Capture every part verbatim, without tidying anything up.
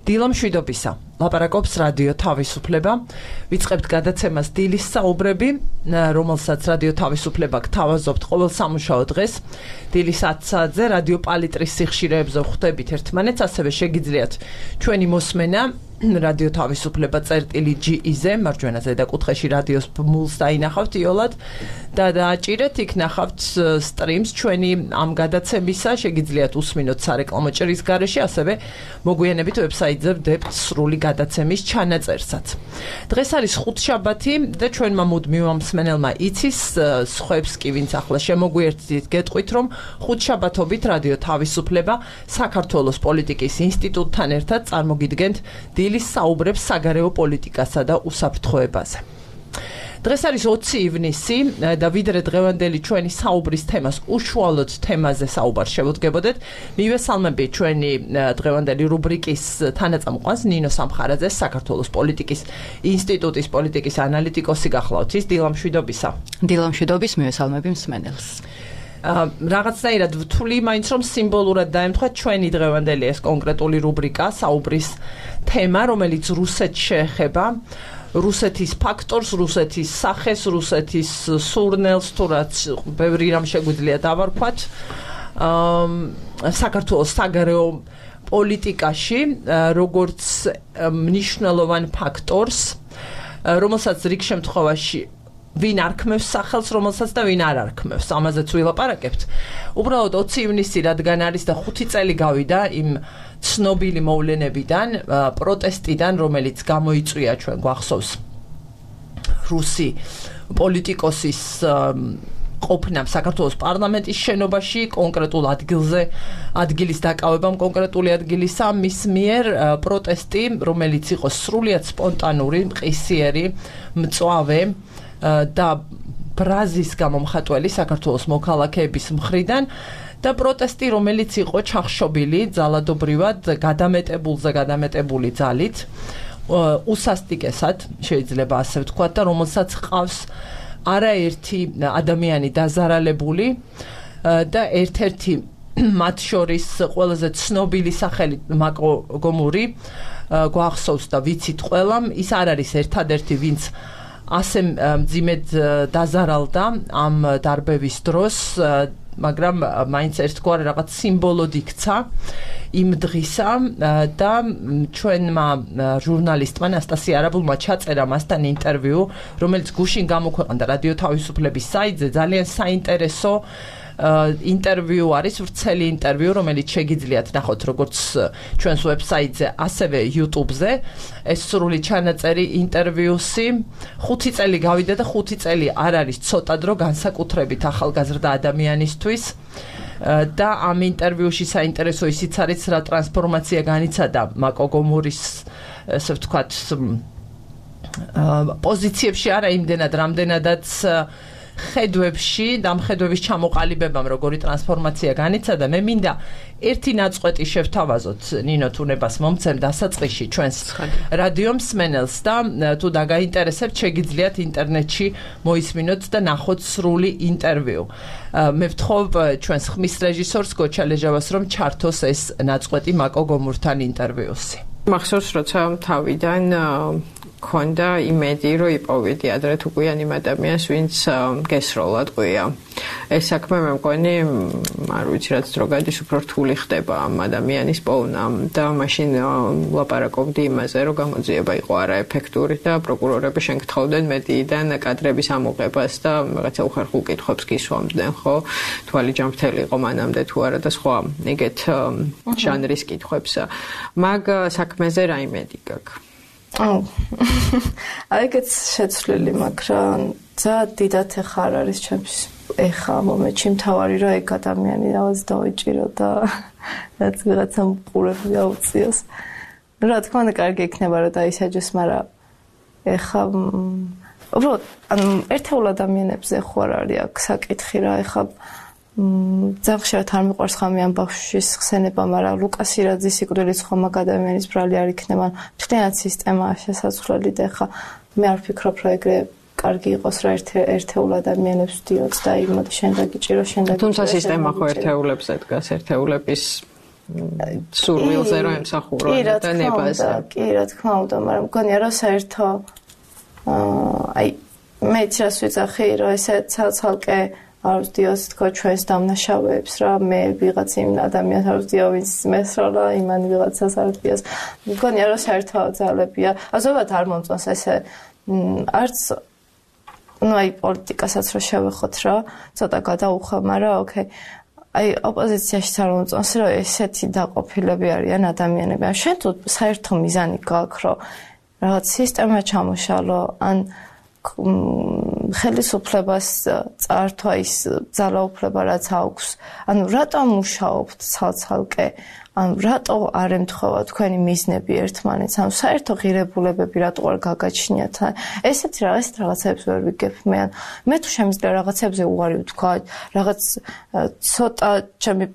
დილა მშვიდობისა. ლაპარაკობს რადიო თავისუფლება. ვიწყებთ გადაცემას დილის საუბრები, რომელსაც რადიო თავისუფლება გთავაზობთ ყოველ სამუშაო დღეს. დილის ათი საათზე რადიო პალიტრის სიხშირეებზე ხვდებით ერთმანეთს, ასევე შეგიძლიათ ჩვენი მოსმენა რადიო თავისუფლება წერტილი ჯი-ზე, მარჯვენა ზედა კუთხეში რადიოს ბმულს დაინახავთ იოლად და დააჭირეთ, იქ ნახავთ სტრიმს ჩვენი ამ გადაცემისა, შეგიძლიათ უსმინოთ სარეკლამო ჭრის გარეშე, ასევე მოგვიანებით ვებსაიტზე ვდებთ სრული გადაცემის ჩანაწერსაც. დღეს არის ხუთშაბათი და ჩვენმა მუდმივ მსმენელმა იცის, სხვებს კი ვინც ახლა შემოგვიერთდით, გეტყვით, რომ ხუთშაბათობით რადიო თავისუფლება საქართველოს პოლიტიკის ინსტიტუტთან ერთად წარმოგიდგენთ დილის საუბრებს საგარეო პოლიტიკასა და უსაფრთხოებაზე. დღეს არის ოცი ივნისი და ვიდრე დღევანდელი ჩვენი საუბრის თემას უშუალოდ თემაზე საუბარს შევუდგებოდეთ, მივესალმები ჩვენი დღევანდელი რუბრიკის თანაწამყვანს ნინო სამხარაძეს, საქართველოს პოლიტიკის ინსტიტუტის პოლიტიკის ანალიტიკოსი გახლავთ. ის დილა მშვიდობისა. დილა მშვიდობის, მივესალმები მსმენელს. რაღაცნაირად ვთვლი მაინც რომ სიმბოლურად დაემთხვა ჩვენი დღევანდელი ეს კონკრეტული რუბრიკა, საუბრის თემა, რომელიც რუსეთს შეეხება, რუსეთის ფაქტორს, რუსეთის სახეს, რუსეთის სურნელს, თუ რაც ბევრი რამ შეგვიძლია დავარქვათ, საქართველოს საგარეო პოლიტიკაში, როგორც მნიშვნელოვან ფაქტორს, რომელსაც რიგ შემთხვევაში ვინ არქმევს სახელს, რომელსაც და ვინ არ არქმევს, ამაზეც ვილაპარაკებთ. უბრალოდ ოცი ივნისი რადგან არის და ხუთი წელი გავიდა იმ ცნობილი მოვლენებიდან, პროტესტიდან, რომელიც გამოიწვია, ჩვენ გვახსოვს რუსი პოლიტიკოსის ყოფნამ საქართველოს პარლამენტის შენობაში, კონკრეტულ ადგილზე, ადგილის დაკავებამ კონკრეტული ადგილისა, მის მიერ პროტესტი, რომელიც იყო სრულიად სპონტანური, მყისიერი, მწვავე და ბრაზის გამომხატველი საქართველოს მოქალაქეების მხრიდან და პროტესტი, რომელიც იყო ჩახშობილი ძალადობრივად, გადამეტებულზე გადამეტებული ძალით, უსასტიკესად, შეიძლება ასე ვთქვათ და რომელსაც ყავს არაერთი ადამიანი დაზარალებული და ერთ-ერთი მათ შორის ყველაზე ცნობილი სახელი მაკო გომური გვახსოვს და ვიცით ყველამ, ის არ არის ერთადერთი, ვინც ასე მძიმედ დაზარალდა ამ დარბევის დროს, მაგრამ მაინც ერთგვარ რაღაც სიმბოლოდ იქცა იმ დღისა და ჩვენმა ჟურნალისტმა ნასტასია არაბულმა ჩაწერა მასთან ინტერვიუ, რომელიც გუშინ გამოქვეყნდა რადიო თავისუფლების საიტზე, ძალიან საინტერესო ინტერვიუ არის, ვრცელი ინტერვიუ, რომელიც შეგიძლიათ ნახოთ როგორც ჩვენს ვებსაიტზე, ასევე YouTube-ზე. ეს სრული ჩანაწერი ინტერვიუსი ხუთი წელი გავიდა და ხუთი წელი არ არის ცოტა დრო განსაკუთრებით ახალგაზრდა ადამიანისთვის. და ამ ინტერვიუში საინტერესო ისიც არის, რა ტრანსფორმაცია განიცადა მაკო გომურის, ესე ვთქვათ, პოზიციებში, არა იმდენად, რამდენადაც ხედვებში და მხედვების ჩამოყალიბებამ როგორი ტრანსფორმაცია განიცადა. მე მინდა ერთი ნაწყვეტი შევთავაზოთ, ნინო, თუნებას მომცემ დასაწყისში ჩვენს რადიო მსმენელს და თუ დაგაინტერესებთ, შეგიძლიათ ინტერნეტში მოისმინოთ და ნახოთ სრული ინტერვიუ. მე ვთხოვ ჩვენს ხმის რეჟისორს გოჩა ლეჟავას, რომ ჩართოს ეს ნაწყვეტი მაკო გომურთან ინტერვიუსი. მახსოვს, როცა თავიდან ქონდა იმედი, რომ იპოვიდი ადრე თუ გვიან იმ ადამიანს, ვინც გესროლად ყვია. ეს საქმე მე მგონი, არ ვიცი რაც დრო გადის, უფრო რთული ხდება ამ ადამიანის პოვნა და მაშინ ლაპარაკობდი იმაზე, რომ გამოძიება იყო არაეფექტური და პროკურორები შენგთხოვდნენ მედიიდან კადრების ამოღებას და რაღაცა უხერხულ კითხვებს გისვამდნენ, ხო? თვალი ჯანმრთელი იყო მანამდე თუ არა და სხვა ეგეთ ჟანრის კითხვებს. მაგ საქმეზე რა იმედი გაქვს? აუ. აიგეც შეცვლილი, მაგრამ ძალიან დიდად ეხა არ არის ჩემს ეხა მომენტში მთავარი რა ეგ ადამიანი რაღაც დავიჭირო და რაც ვიღაცამ ყურები აუწიოს. ну რა თქმა უნდა კარგი იქნება რომ დაისაჯოს, მაგრამ ეხა უბრალოდ ანუ ერთეულ ადამიანებზე ხო არ არის აქ საკითხი რა, ეხა ძალიან ხშირად არ მიყვარს ხამი ამ ბავშვის ხსენება, მაგრამ ლუკას ირაძის სიკვდილის ხომ მაგ ადამიანის ბრალი არ იქნება. მთლიანად სისტემაა შესაძლებელი და ეხა მე არ ვფიქრობ რომ ეგრე კარგი იყოს რა ერთეულ ადამიანებს ვდიოთ და იმოდ შენ დაგიჭირო შენ დაგიჭირო. თუმცა სისტემა ხო ერთეულებზე დგას, ერთეულების სურვილზე რომ ემსახურონ და ნებაზე. კი, რა თქმა უნდა, მაგრამ მგონია რომ საერთო აი მე ცას ვიძახი რომ ესე ცალ-ცალკე არ ვსდიოს თქო ჩვენს დამნაშავეებს რა მე ვიღაც იმ ადამიანს არ ვსდიო ვინც მესროლა იმან ვიღაცას არ ვსდიოს მგონია რომ საერთო ძალებია აზრობათ არ მომწონს ესე არც ну აი პოლიტიკასაც რო შევეხოთ რა ცოტა გადაუხო მაგრამ ოკეი აი ოპოზიციაში არ მომწონს რომ ესეთი დაყოფილები არიან ადამიანები ან შენ თუ საერთო მიზანი გაქვს რომ რაღაც სისტემა ჩამოშალო ან ხელისუფლებას წართვა ის ძალაუფლება რაც აქვს ანუ რატომ მუშაობთ ცალ-ცალკე ანუ რატო არ ემთხვევა თქვენი მიზნები ერთმანეთს ანუ საერთო ღირებულებები რატო არ გაგაჩნიათ ესეთი რაღაც რაღაცებს ვერ ვიგებ მე მე თუ შემიძლია რაღაცებზე უარი ვთქვა რაღაც ცოტა ჩემი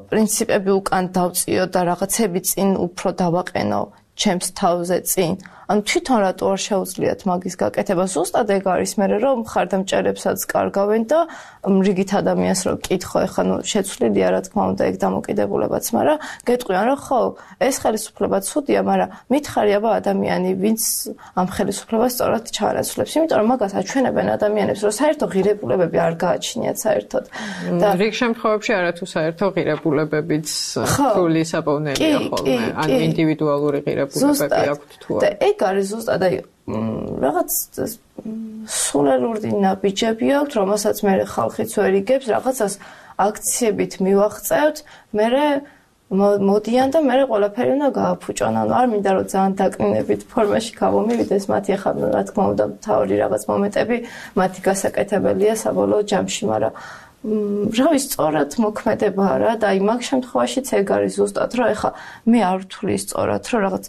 პრინციპები უკან დავწიო და რაღაცები წინ უფრო დავაყენო ჩემს თავზე წინ ანუ თვითონ რატო არ შეუძლიათ მაგის გაკეთება ზუსტად ეგ არის მე რომ მხარდამჭერებსაც კარგავენ და რიგით ადამიანს რო კითხო ეხლა ნუ შეცვლილია რა თქმა უნდა ეგ დამოკიდებულებაც მაგრამ გეტყვიან რომ ხო ეს ხელისუფლება ცუდია მაგრამ მითხარი აბა ადამიანი ვინც ამ ხელისუფლებას სწორად ჩაანაცვლებს იმიტომ რომ მაგას აჩვენებენ ადამიანებს რომ საერთო ღირებულებები არ გააჩნიათ საერთოდ და რიგ შემთხვევებში არათუ საერთო ღირებულებებიც ფული საპოვნელია ხოლმე ან ინდივიდუალური ღირებულებები აქვთ თუ არა ეგ არის ზუსტად აი რაღაც სულელური ნაბიჯები აქვს რომელსაც მე ხალხიც ვერ იგებს რაღაცას აქციებით მივაღწევთ მე მოდიან და მე ყველაფერი უნდა გააფუჭონ ანუ არ მინდა რომ ძალიან დაკნინებით ფორმაში გავომივიდეს მათი ახლა რა თქმა უნდა თავი რაღაც მომენტები მათი გასაკეთებელია საბოლოო ჯამში მაგრამ რავი სწორად მოქმედებაა რა და აი მაგ შემთხვევაშიც ეგ არის ზუსტად რომ ახლა მე არ ვთვლი სწორად რომ რაღაც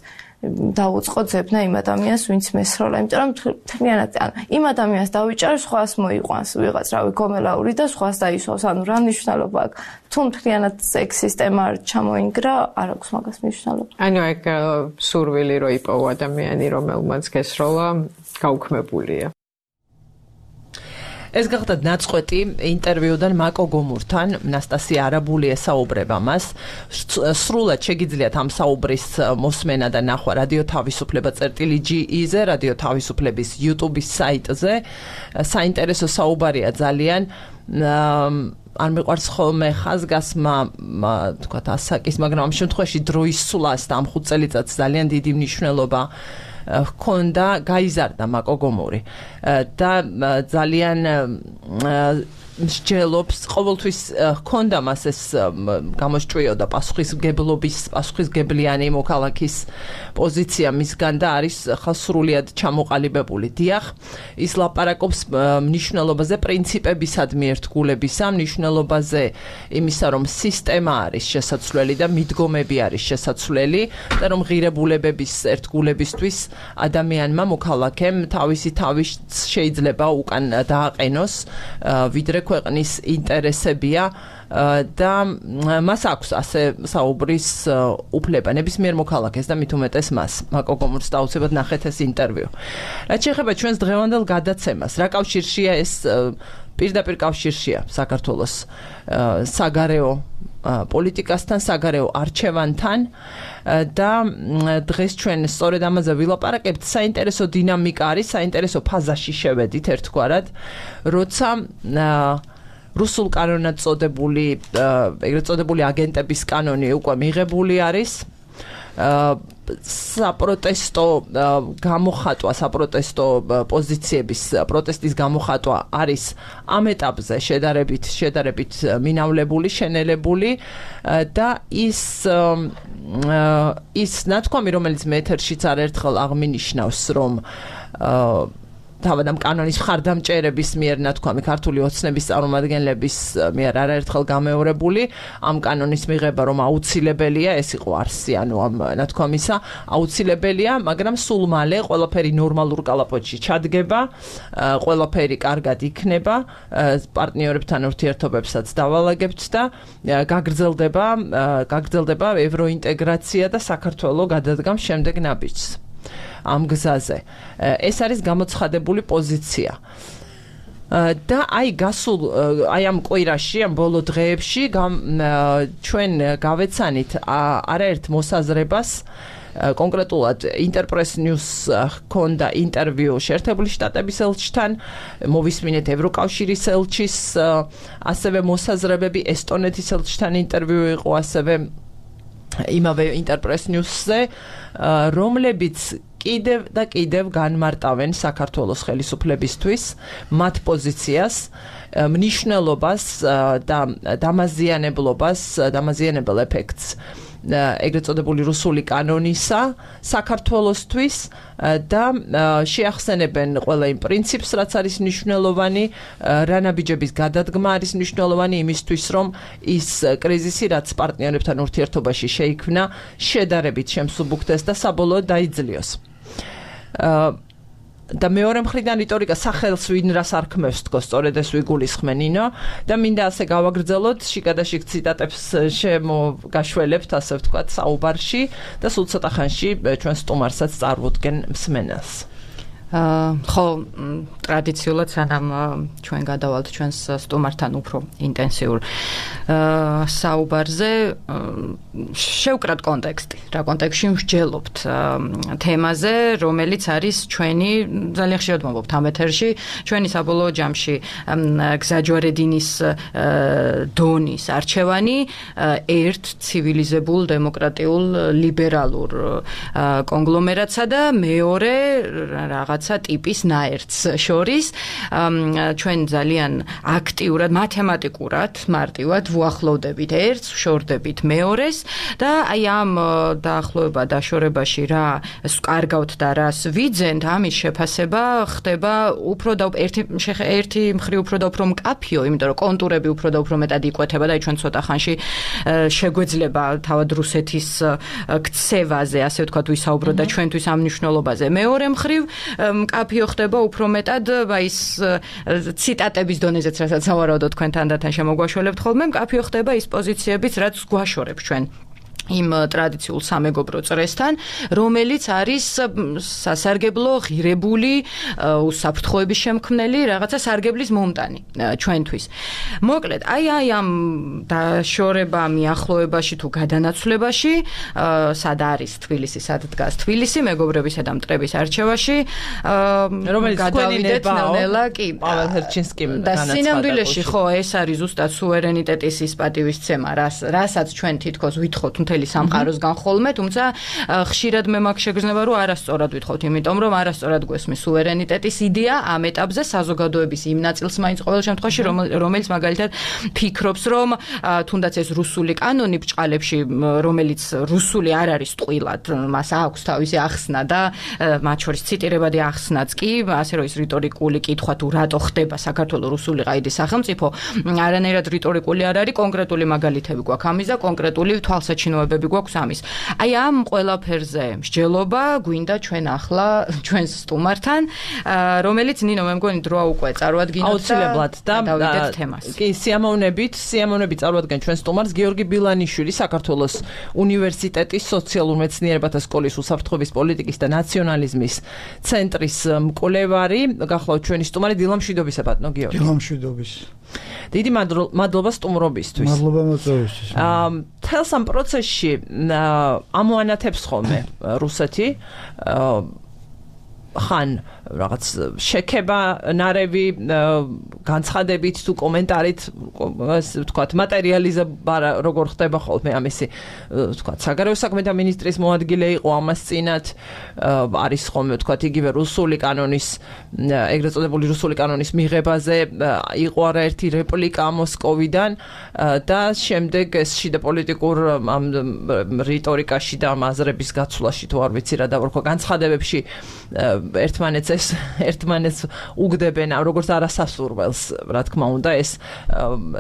დაუწყო ძებნა იმ ადამიანს ვინც მესროლა იმიტომ რომ თლიანად ან იმ ადამიანს დავიჭარ სხვას მოიყვანს ვიღაც რავი გომელაური და სხვას დაისვავს ანუ რა მნიშვნელობა აქვს თუ თლიანად ეგ სისტემა არ ჩამოინგრა არ აქვს მაგას მნიშვნელობა ანუ ეგ სურვილი რო იპოვო ადამიანი რომელმაც გესროლა გაუქმებულია ეს გახდა ნაწყვეტი ინტერვიუდან მაკო გომურთან ნასტასია არაბული ესაუბრება მას სრულად შეგიძლიათ ამ საუბრის მოსმენა და ნახვა რადიო თავისუფლება წერტილი ჯი-ზე რადიო თავისუფლების YouTube-ის საიტზე საინტერესო საუბარია ძალიან არ მიყვარს ხოლმე ხაზგასმა თქვათ ასაკის მაგრამ ამ შემთხვევაში დროის სულას და ამ ხუთ წელიწადს ძალიან დიდი მნიშვნელობა ჰქონდა გაიზარდა მაკო გომური და ძალიან მსჯელობს ყოველთვის ჰქონდა მას ეს გამოსჭრიოდა პასუხისმგებლობის პასუხისმგებლიანი მოქალაქის პოზიცია მისგან და არის ხალხსრულად ჩამოყალიბებული დიახ ის ლაპარაკობს მნიშვნელობაზე პრინციპებისადმი ერთგულებისა მნიშვნელობაზე იმისა რომ სისტემა არის შესაძლებელი და მიდგომები არის შესაძლებელი და რომ ღირებულებების ერთგულებისთვის ადამიანმა მოქალაქემ თავისი თავის შეიძლება უკან დააყენოს ვიდრე ქვეყნის ინტერესებია და მას აქვს ასე საუბრის უფლება ნებისმიერ მოქალაქეს და მით უმეტეს მას მაკო გომურს დაუცებად ნახეთ ეს ინტერვიუ რაც შეეხება ჩვენს დღევანდელ გადაცემას რა კავშირშია ეს პირდაპირ კავშირშია საქართველოს საგარეო პოლიტიკასთან საგარეო არჩევანთან და დღეს ჩვენ სწორედ ამაზე ვილაპარაკებთ საინტერესო დინამიკა არის საინტერესო ფაზაში შევედით ერთგვარად როცა რუსულ კანონად წოდებული ეგრეთ წოდებული აგენტების კანონი უკვე მიღებული არის საპროტესტო გამოხატვა საპროტესტო პოზიციების პროტესტის გამოხატვა არის ამ ეტაპზე შედარებით შედარებით მინავლებული შენელებული და ის ის ნათქვამი რომელიც მე ეთერშიც არაერთხელ აღმინიშნავს რომ თავად ამ კანონის მხარდამჭერების მიერ ნათქვამი ქართული ოცნების წარმომადგენლების მიერ არაერთხელ გამეორებული ამ კანონის მიღება რომ აუცილებელია ეს იყო არსი ანუ ამ ნათქვამისა აუცილებელია მაგრამ სულ მალე ყველაფერი ნორმალურ კალაპოტში ჩადგება ყველაფერი კარგად იქნება პარტნიორებთან ურთიერთობებსაც დავალაგებთ და გაგრძელდება გაგრძელდება ევროინტეგრაცია და საქართველოს გადადგამ შემდეგ ნაბიჯს ამ გზაზე ეს არის გამოცხადებული პოზიცია და აი გასულ აი ამ კვირაში, ამ ბოლო დღეებში ჩვენ გავეცანით არაერთ მოსაზრებას კონკრეტულად Interpress News ჰქონდა ინტერვიუ შეერთებული შტატების ელჩთან, მოვისმინეთ ევროკავშირის ელჩის ასევე მოსაზრებები, ესტონეთის ელჩთან ინტერვიუ იყო ასევე იმავე Interpress News-ზე, რომლებიც კიდევ და კიდევ განმარტავენ საქართველოს ხელისუფლებისთვის მათ პოზიციას, მნიშვნელობას და დამაზიანებლობას, დამაზიანებელ ეფექტს ეგრეთ წოდებული რუსული კანონისა საქართველოსთვის და შეახსენებენ ყველა იმ პრინციპს, რაც არის მნიშვნელოვანი, რა ნაბიჯების გადადგმა არის მნიშვნელოვანი იმისთვის, რომ ის კრიზისი, რაც პარტნიორებთან ურთიერთობაში შეიქმნა, შედარებით შემსუბუქდეს და საბოლოოდ დაიძლიოს. და მეორე მხრიდან რიტორიკა სახელს ვინ რას არქმევს თქო, სწორედ ეს ვიგულისხმენ ნინო და მინდა ასე გავაგრძელოთ შიგადაშიგ ციტატებს შემოგაშველებთ, ასე ვთქვათ, საუბარში და სულ ცოტა ხანში ჩვენ სტუმარსაც წარვუდგენ მსმენელს. ხო, ტრადიციულად სანამ ჩვენ გადავალთ ჩვენს სტუმართან უფრო ინტენსიურ საუბარზე, შევკრათ კონტექსტი. რა კონტექსტში ვსჯელობთ თემაზე, რომელიც არის ჩვენი, ძალიან ხშირად მომბობთ ამ ეთერში, ჩვენი საბოლოო ჯამში გზაჯვარედინის დონის არჩევანი ერთ ცივილიზებულ, დემოკრატიულ, ლიბერალურ კონგლომერატსა და მეორე რაღაც ტიპის ნაერთს შორის ჩვენ ძალიან აქტიურად, მათემატიკურად, მარტივად ვუახლოვდებით ერთს, ვშორდებით მეორეს და აი ამ დაახლოება დაშორებაში რა კარგავთ და რას ვიძენთ, ამის შეფასება ხდება უფრო და ერთი ერთი მხრივ უფრო და უფრო მკაფიო, იმიტომ რომ კონტურები უფრო და უფრო მეტად იკვეთება და აი ჩვენ ცოტა ხანში შეგვეძლება თავად რუსეთის ქცევაზე, ასე ვთქვათ, ვისაუბროთ და ჩვენთვის ამ მნიშვნელობაზე. მეორე მხრივ მკაფიო ხდება უფრო მეტად ის ციტატების დონეზეც, რასაც სავარაუდოდ თქვენთან და თან შემოგვაშველებთ ხოლმე, მკაფიო ხდება ის პოზიციებიც, რაც გვაშორებს ჩვენ იმ ტრადიციულ სამეგობრო წრესთან, რომელიც არის სასარგებლო, ღირებული, უსაფრთხოების შემქმნელი, რაღაცა სარგებლის მომტანი ჩვენთვის. მოკლედ, აი აი ამ დაშორება, მიახლოებაში თუ გადანაცვლებაში, სად არის თბილისი, სად დგას თბილისი, მეგობრებისა და მტრების არჩევაში, რომელიც გადავიდეთ ნელ-ნელა კი. პაվել ჰერჩინსკიმ და სინამდვილეში ხო, ეს არის ზუსტად სუვერენიტეტის ის პატივისცემა, რასაც ჩვენ თითქოს ვითხოვთ სამყაროსგან ხოლმე, თუმცა ხშირად მე მაგ შეგრძნება, რომ არასწორად ვითხოვთ, იმიტომ რომ არასწორად გვესმის სუვერენიტეტის იდეა ამ ეტაპზე საზოგადოების იმ ნაწილს მაინც ყოველ შემთხვევაში, რომელიც მაგალითად ფიქრობს, რომ თუნდაც ეს რუსული კანონი ბჭყალებში, რომელიც რუსული არ არის ტყუილად, მას აქვს თავისი ახსნა და მათ შორის ციტირებადი ახსნაც კი, ასე რომ ის რიტორიკული კითხვა თუ რატო ხდება საქართველოს რუსული ყაიდის სახელმწიფო, არანაირად რიტორიკული არ არის, კონკრეტული მაგალითები გვაქვს ამის და კონკრეტული თვალსაჩინო გვაქვს ამის. აი ამ ყველაფერზე მსჯელობა გვინდა ჩვენ ახლა ჩვენს სტუმართან, რომელიც ნინო მე მგონი დროა უკვე წარვადგინოთ აუცილებლად და დავიდეთ თემას. კი, სიამოვნებით, სიამოვნებით წარვადგენ ჩვენ სტუმარს გიორგი ბილანიშვილი, საქართველოს უნივერსიტეტის სოციალურ მეცნიერებათა სკოლის უსაფრთხოების პოლიტიკის და ნაციონალიზმის ცენტრის მკვლევარი. გახლავთ ჩვენი სტუმარი, დილამშვიდობისა ბატონო გიორგი. დილამშვიდობის. დიდი მადლობა სტუმრობისთვის. მადლობა მოწვევისთვის. აა თელს ამ პროცესში ამოანათებს ხოლმე რუსეთი ხან რაღაც შექება ნარევი განცხადებით თუ კომენტარით, ასე ვთქვათ, მატერიალიზება როგორ ხდება ხოლმე ამისი, ვთქვათ, საგარეო საქმეთა მინისტრის მოადგილე იყო ამას წინათ, არის ხოლმე, ვთქვათ, იგივე რუსული კანონის, ეგრეთ წოდებული რუსული კანონის მიღებაზე იყო არაერთი რეპლიკა მოსკოვიდან და შემდეგ ეს შიდა პოლიტიკურ ამ რიტორიკაში და აზრების გაცვლაში თუ არ ვიცი რა დავარქვა განცხადებებში ერთმანეთს ეს ერთმანეთს უგდებენ როგორც არასასურველს, რა თქმა უნდა, ეს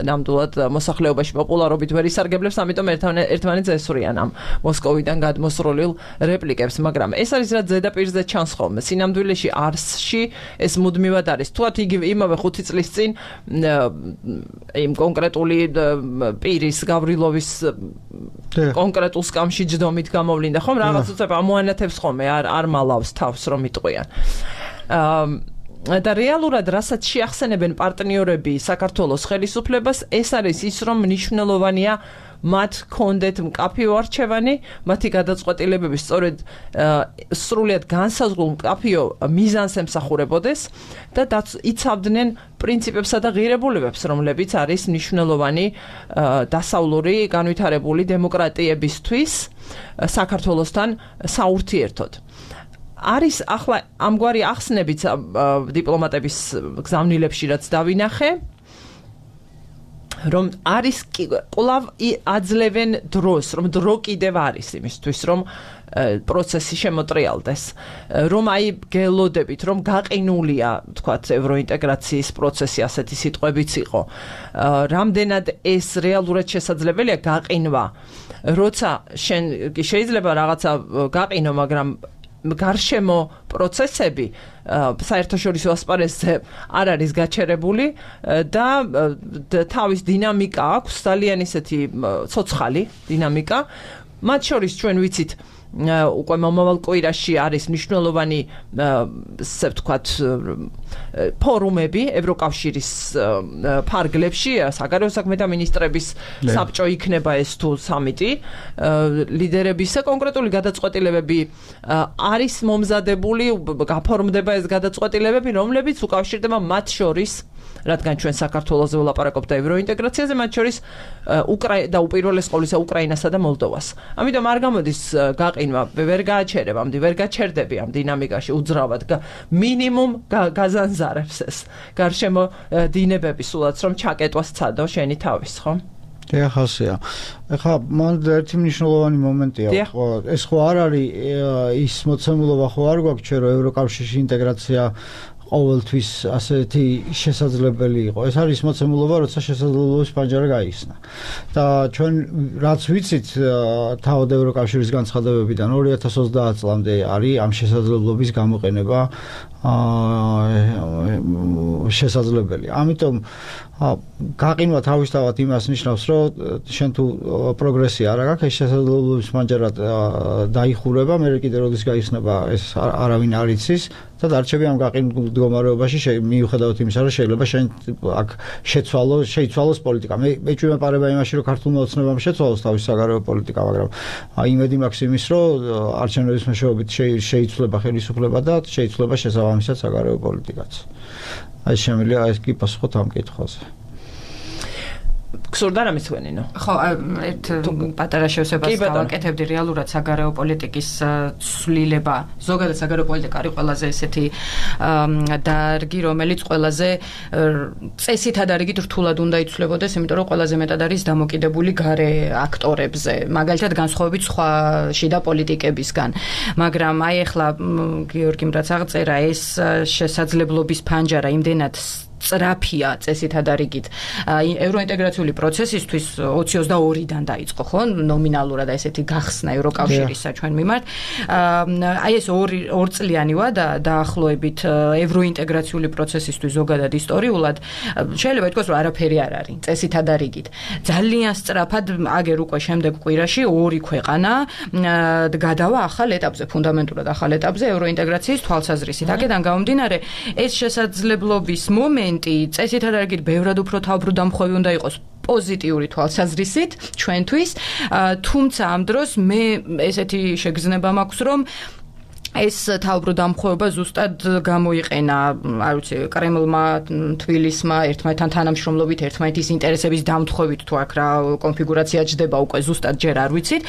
ნამდვილად მოსახლეობაში პოპულარობით ვერ ისარგებლებს, ამიტომ ერთმანეთს ესვრიან ამ მოსკოვიდან გადმოსროლილ რეპლიკებს, მაგრამ ეს არის რაც ზედაპირზე ჩანს ხოლმე. სინამდვილეში არსში ეს მუდმივად არის. თუათ იგივე იმავე ხუთი წლის წინ იმ კონკრეტული პირის გავრილოვის კონკრეტულ სკამში ჯდომით გამოვლინდა, ხომ რაღაც უცებ ამოანათებს ხოლმე, არ არ მალავს თავს რომ იტყვიან. და რეალურად რასაც შეახსენებენ პარტნიორები საქართველოს ხელისუფლებას, ეს არის ის, რომ მნიშვნელოვანია მათ კონდეთ მკაფიო არჩევანი, მათი გადაწყვეტილებები სწორედ სრულიად განსაზღვრულ მკაფიო მიზანს ემსახურებოდეს და იცავდნენ პრინციპებსა და ღირებულებებს, რომლებიც არის მნიშვნელოვანი დასავლური განვითარებული დემოკრატიებისთვის საქართველოსთან საურთიერთოდ. არის ახლა ამგვარი ახსნებიც დიპლომატების გზავნილებში რაც დავინახე, რომ არის კვლავ აძლევენ დროს, რომ დრო კიდევ არის იმისთვის, რომ პროცესი შემოტრიალდეს, რომ აი გელოდებით, რომ გაყინულია, თქვათ, ევროინტეგრაციის პროცესი, ასეთი სიტყვებიც იყო. რამდენად ეს რეალურად შესაძლებელია გაყინვა, როცა შენ შეიძლება რაღაცა გაყინო, მაგრამ გარშემო პროცესები საერთაშორისო ასპარეზზე არ არის გაჩერებული და თავის დინამიკა აქვს, ძალიან ისეთი ცოცხალი დინამიკა. მათ შორის ჩვენ ვიცით უკვე მომავალ კვირაში არის მნიშვნელოვანი ასე ვთქვათ ფორუმები ევროკავშირის ფარგლებში, საგარეო საქმეთა მინისტრების საბჭო იქნება ეს თუ სამიტი, ლიდერების კონკრეტული გადაწყვეტილებები არის მომზადებული, გაფორმდება ეს გადაწყვეტილებები, რომლებიც უკავშირდება მათ შორის, რადგან ჩვენ საქართველოზე ვლაპარაკობთ და ევროინტეგრაციაზე, მათ შორის უკრაინა და უპირველეს ყოვლისა უკრაინასა და მოლდოვას. ამიტომ არ გამოდის გაყინვა, ვერ გააჩერებ, ამდენ ვერ გაჩერდები ამ დინამიკაში უძრავად, მინიმუმ გაზანზარებს ეს გარშემო დინებები სულაც რომ ჩაკეტვას ცადო შენი თავის, ხო? დიახასია. ეხლა მან ერთი მნიშვნელოვანი მომენტია. ეს ხო არ არის ის მოცემულობა ხო არ გვაქვს ჩვენ რომ ევროკავშირში ინტეგრაცია ყოველთვის ასეთი შესაძლებელი იყო. ეს არის მოცემულობა, როცა შესაძლებლობის პანჯარა გაიხსნა. და ჩვენ რაც ვიცით თავად ევროკავშირის განცხადებებიდან ორი ათას ოცდაათ წლამდე არის ამ შესაძლებლობის გამოყენება შესაძლებელი. ამიტომ გაყინვა თავისთავად იმას ნიშნავს, რომ შენ თუ პროგრესი არ აქვს, ეს შესაძლებლობის პანჯარა დაიხურება, მე კიდე როდის გაიხსნება ეს არავინ არ იცის და დარჩები ამ გაყინულ მდგომარეობაში მიუხედავად იმისა, რომ შეიძლება შენ აქ შეცვალო, შეიცვალოს პოლიტიკა. მე მე ჩვენ ვაპარება იმაში, რომ ქართულმა ოცნებამ შეცვალოს თავის საგარეო პოლიტიკა, მაგრამ იმედი მაქვს იმის, რომ არჩევნების მეშვეობით შეიცვლება ხელისუფლება და შეიცვლება შესაბამისად საგარეო პოლიტიკაც. აი შემიძლია ეს კი პასუხოთ ამ კითხვაზე. გსურდა რამის ვენინო? ხო, ერთ პატარა შევსებას გავაკეთებდი რეალურად საგარეო პოლიტიკის ცვლილება. ზოგადად საგარეო პოლიტიკა არის ყველაზე ესეთი დარგი, რომელიც ყველაზე წესითა დარგით რთულად უნდა იცვლებოდეს, იმიტომ რომ ყველაზე მეტად არის დამოკიდებული გარე აქტორებზე, მაგალითად განსხვავებით სხვა შიდა პოლიტიკებისგან. მაგრამ აი ახლა გიორგიმ რაც აღწერა, ეს შესაძლებლობის ფანჯარა იმდენად წრაფია წესითა დარიგით ევროინტეგრაციული პროცესისთვის ოცი ოცდაორიდან დაიწყო, ხო? ნომინალურად ესეთი გახსნა ევროკავშირისა ჩვენ მიმართ. აი ეს ორი ორწლიანი ვადა დაახლოებით ევროინტეგრაციული პროცესისთვის ზოგადად ისტორიულად შეიძლება ითქვას, რომ არაფერი არ არის წესითა დარიგით. ძალიან სწრაფად აგერ უკვე შემდეგ კვირაში ორი ქვეყანა გადავა ახალ ეტაპზე, ფუნდამენტურად ახალ ეტაპზე ევროინტეგრაციის თვალსაზრისით. აქედან გამომდინარე, ეს შესაძლებლობის მომენტი წესითა დარგით ბევრად უფრო თავბრუდამხვევი უნდა იყოს პოზიტიური თვალსაზრისით ჩვენთვის, თუმცა ამ დროს მე ესეთი შეგრძნება მაქვს, რომ ეს თავბრუდამხვევება ზუსტად გამოიყენა, არ ვიცი, კრემლმა, თბილისმა, ერთმანეთთან თანამშრომლობით, ერთმანეთის ინტერესების დამთხოვით თუ აქ რა კონფიგურაცია ჯდება უკვე ზუსტად ჯერ არ ვიცით,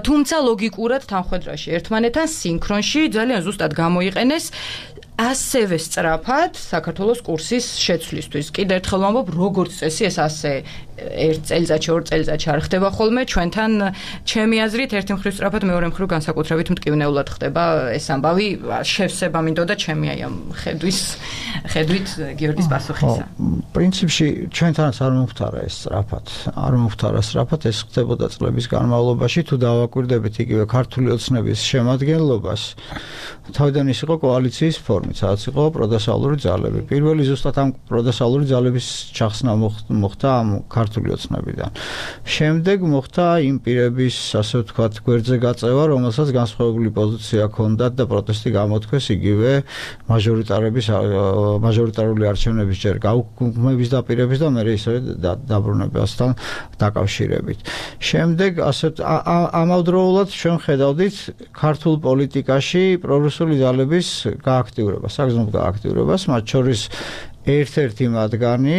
თუმცა ლოგიკურად თანხმედრაში ერთმანეთთან სინქრონში ძალიან ზუსტად გამოიყენეს ასევე სწრაფად საქართველოს კურსის შეცვლისთვის. კიდევ ერთხელ ვამბობ, როგორც წესი ეს ასე ერთ წელიწადში, ორ წელიწადში არ ხდება ხოლმე, ჩვენთან ჩემი აზრით ერთი მხრივ სწრაფად, მეორე მხრივ განსაკუთრებით მტკივნეულად ხდება ეს ამბავი. შევსება მინდოდა ჩემი აი ამ ხედვის ხედვით გიორგის პასუხისა. პრინციპში ჩვენთანაც არ მომხდარა ეს სწრაფად. არ მომხდარა სწრაფად, ეს ხდებოდა წლების განმავლობაში, თუ დავაკვირდებით იგივე ქართული ოცნების შემადგენლობას. თავიდან ის იყო კოალიციის ფორმით, სადაც იყო პროდასავლური ძალები. პირველი ზუსტად ამ პროდასავლური ძალების ჩახსნა მოხდა ამ ქართულ ქართული ოცნებიდან. შემდეგ მოხდა იმ პირების, ასე ვთქვათ, გვერდზე გაწევა, რომელსაც განსხვავებული პოზიცია ჰქონდათ და პროტესტი გამოთქვეს იგივე მაჟორიტარების მაჟორიტარული არჩევნების ჯერ გაუქმების დაპირების და მერე ისევ დაბრუნებასთან დაკავშირებით. შემდეგ ასე ამავდროულად ჩვენ ხედავდით ქართულ პოლიტიკაში პრორუსული ძალების გააქტიურებას, საგრძნობ გააქტიურებას, მათ შორის ერთ-ერთი მათგანი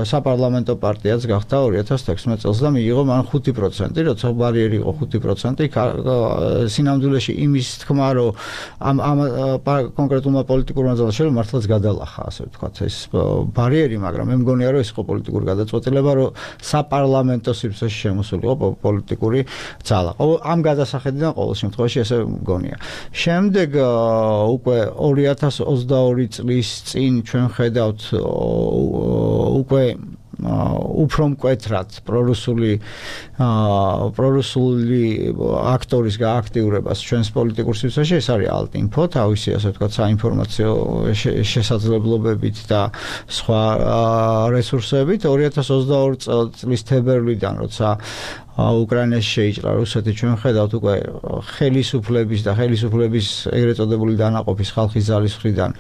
საპარლამენტო პარტიაც გახდა ორი ათას თექვსმეტ წელს და მიიღო მან ხუთი პროცენტი, როცა ბარიერი იყო ხუთი პროცენტი, სინამდვილეში იმის თქმა, რომ ამ ამ კონკრეტულმა პოლიტიკურმა ძალამ შეიძლება მართლაც გადალახა, ასე ვთქვათ, ეს ბარიერი, მაგრამ მე მგონია, რომ ეს იყო პოლიტიკური გადაწყვეტილება, რომ საპარლამენტო სივრცეში შემოსულიყო პოლიტიკური ძალა. ამ გადასახედიდან ყოველ შემთხვევაში ესე მგონია. შემდეგ უკვე ორი ათას ოცდაორი წლის წინ ჩვენ ხედავთ უკვე უფრო მკვეთრად პრორუსული პრორუსული აქტორის გააქტიურებას ჩვენს პოლიტიკურ სივრცეში, ეს არის ალტინფო, თავისი ასე ვთქვათ საინფორმაციო შესაძლებლობებით და სხვა რესურსებით. ორი ათას ოცდაორი წლის თებერვლიდან, როცა უკრაინაში შეიჭრა რუსეთი, ჩვენ ხედავთ უკვე ხელისუფლების და ხელისუფლების ეგრეთ წოდებული დანაყოფის ხალხის ძალის მხრიდან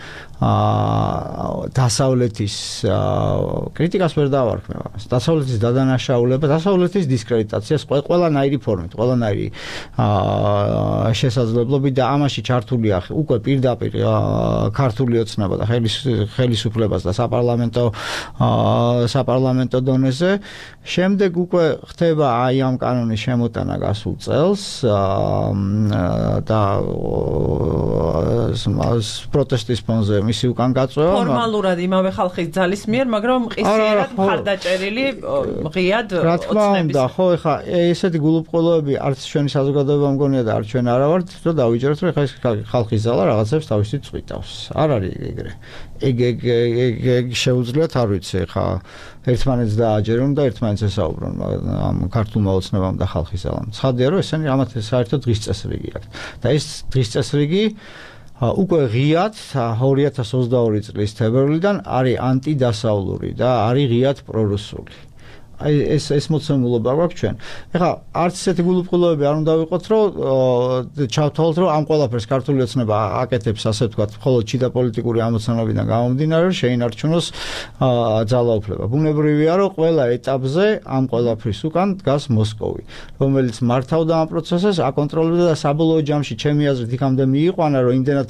დასავლეთის კრიტიკას ვერ დავარქმევ. დასავლეთის დადანაშაულება, დასავლეთის დისკრედიტაციას ყველანაირი ფორმით, ყველანაირი შესაძლებლობით და ამაში ჩართულია უკვე პირდაპირ ქართული ოცნება და ხელისუფლებას და საპარლამენტო საპარლამენტო დონეზე. შემდეგ უკვე ხდება აი ამ კანონის შემოტანა გასულ წელს და პროტესტის ფონზე მისი უკან გაწევა ფორმალურად იმავე ხალხის ძალის მიერ, მაგრამ ყისიერად მხარდაჭერილი ღიად ოცნების. რა თქმა უნდა, ხო, ეხა ესეთი გულუბრყოლოები არც ჩვენი საზოგადოება მგონია და არც ჩვენ არა ვართ, რომ დავიჯეროთ, რომ ეხა ეს ხალხის ზალა რაღაცებს თავისით წვიტავს. არ არის ეგრე. ეგ ეგ ეგ შეუძლიათ, არ ვიცი, ეხა ერთმანეთს დააჯერონ და ერთმანეთს ესაუბრონ ამ ქართულმა ოცნებამ და ხალხის ზალამ. ცხადია, რომ ესენი ამათ საერთოდ დღის წესრიგი აქვს. და ეს დღის წესრიგი უკვე ღიად ორი ათას ოცდაორი წლის თებერვლიდან არის ანტიდასავლური და არის ღიად პრორუსული. აი ეს ეს მოცემულობა გვაქვს ჩვენ. ეხლა არც ესეთი გულუბრყოლოები არ უნდა ვიყოთ, რომ ჩავთვალოთ, რომ ამ ყველაფერს ქართული ოცნება აკეთებს, ასე ვთქვათ, მხოლოდ ჩიტა პოლიტიკური ამოცანებიდან გამომდინარე, რომ შეინარჩუნოს ძალაუფლება. ბუნებრივია, რომ ყველა ეტაპზე ამ ყველაფრის უკან დგას მოსკოვი, რომელიც მართავდა ამ პროცესს, აკონტროლებდა და საბოლოო ჯამში ჩემი აზრით იქამდე მიიყვანა, რომ იმდენად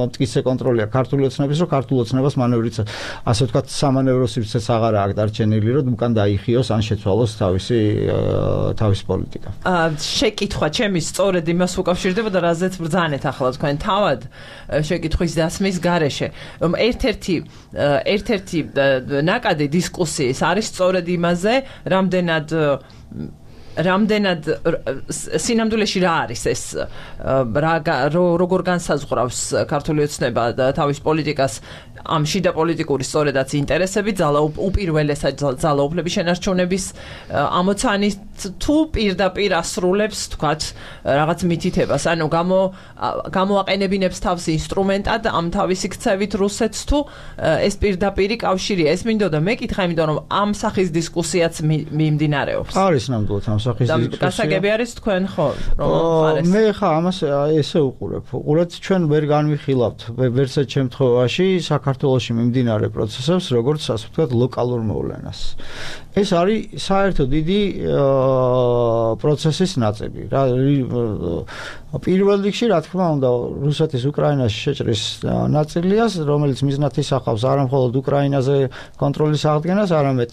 მტკიცე კონტროლია ქართული ოცნების, რომ ქართულ ოცნებას მანევრიც, ასე ვთქვათ, სამანევრო სივრცეც აღარ აქვს დარჩენილი, რომ უკან დაიხიოს ან შეცვალოს თავისი თავისი პოლიტიკა. შეკითხვა ჩემი სწორედ იმას უკავშირდება და რაზეც ბრძანეთ ახლა თქვენ თავად შეკითხვის დასმის გარეშე. ერთ-ერთი ერთ-ერთი ნაკადი დისკუსიის არის სწორედ იმაზე, რამდენად რამდენად სინამდვილეში რა არის ეს როგორ განსაზღვრავს ქართული ოცნება და თავის პოლიტიკას ამ შიდა პოლიტიკური სწორედაც ინტერესები, უპირველესად ძალაუფლების შენარჩუნების ამოცანის თუ პირდაპირ ასრულებს, თქვათ, რაღაც მითითებას, ანუ გამოაყენებინებს თავს ინსტრუმენტად ამ თავისი ქცევით რუსეთს თუ ეს პირდაპირი კავშირია. ეს მინდოდა მეკითხა, იმიტომ რომ ამ სახის დისკუსიაც მიმდინარეობს. არის ნამდვილად ამ სახის დისკუსია. გასაგები არის თქვენ ხო, რომ ხარეს. მე ხა ამას ესე უყურებ. უყურეთ, ჩვენ ვერ განვიხილავთ ვერცერთ შემთხვევაში საქართველოში მიმდინარე პროცესებს, როგორც ასე ვთქვათ, ლოკალურ მოვლენას. ეს არის საერთოდ დიდი პროცესის ნაწილი. პირველ რიგში, რა თქმა უნდა, რუსეთის უკრაინაში შეჭრის ნაწილია, რომელიც მიზნად ისახავს არა მხოლოდ უკრაინაზე კონტროლის აღდგენას, არამედ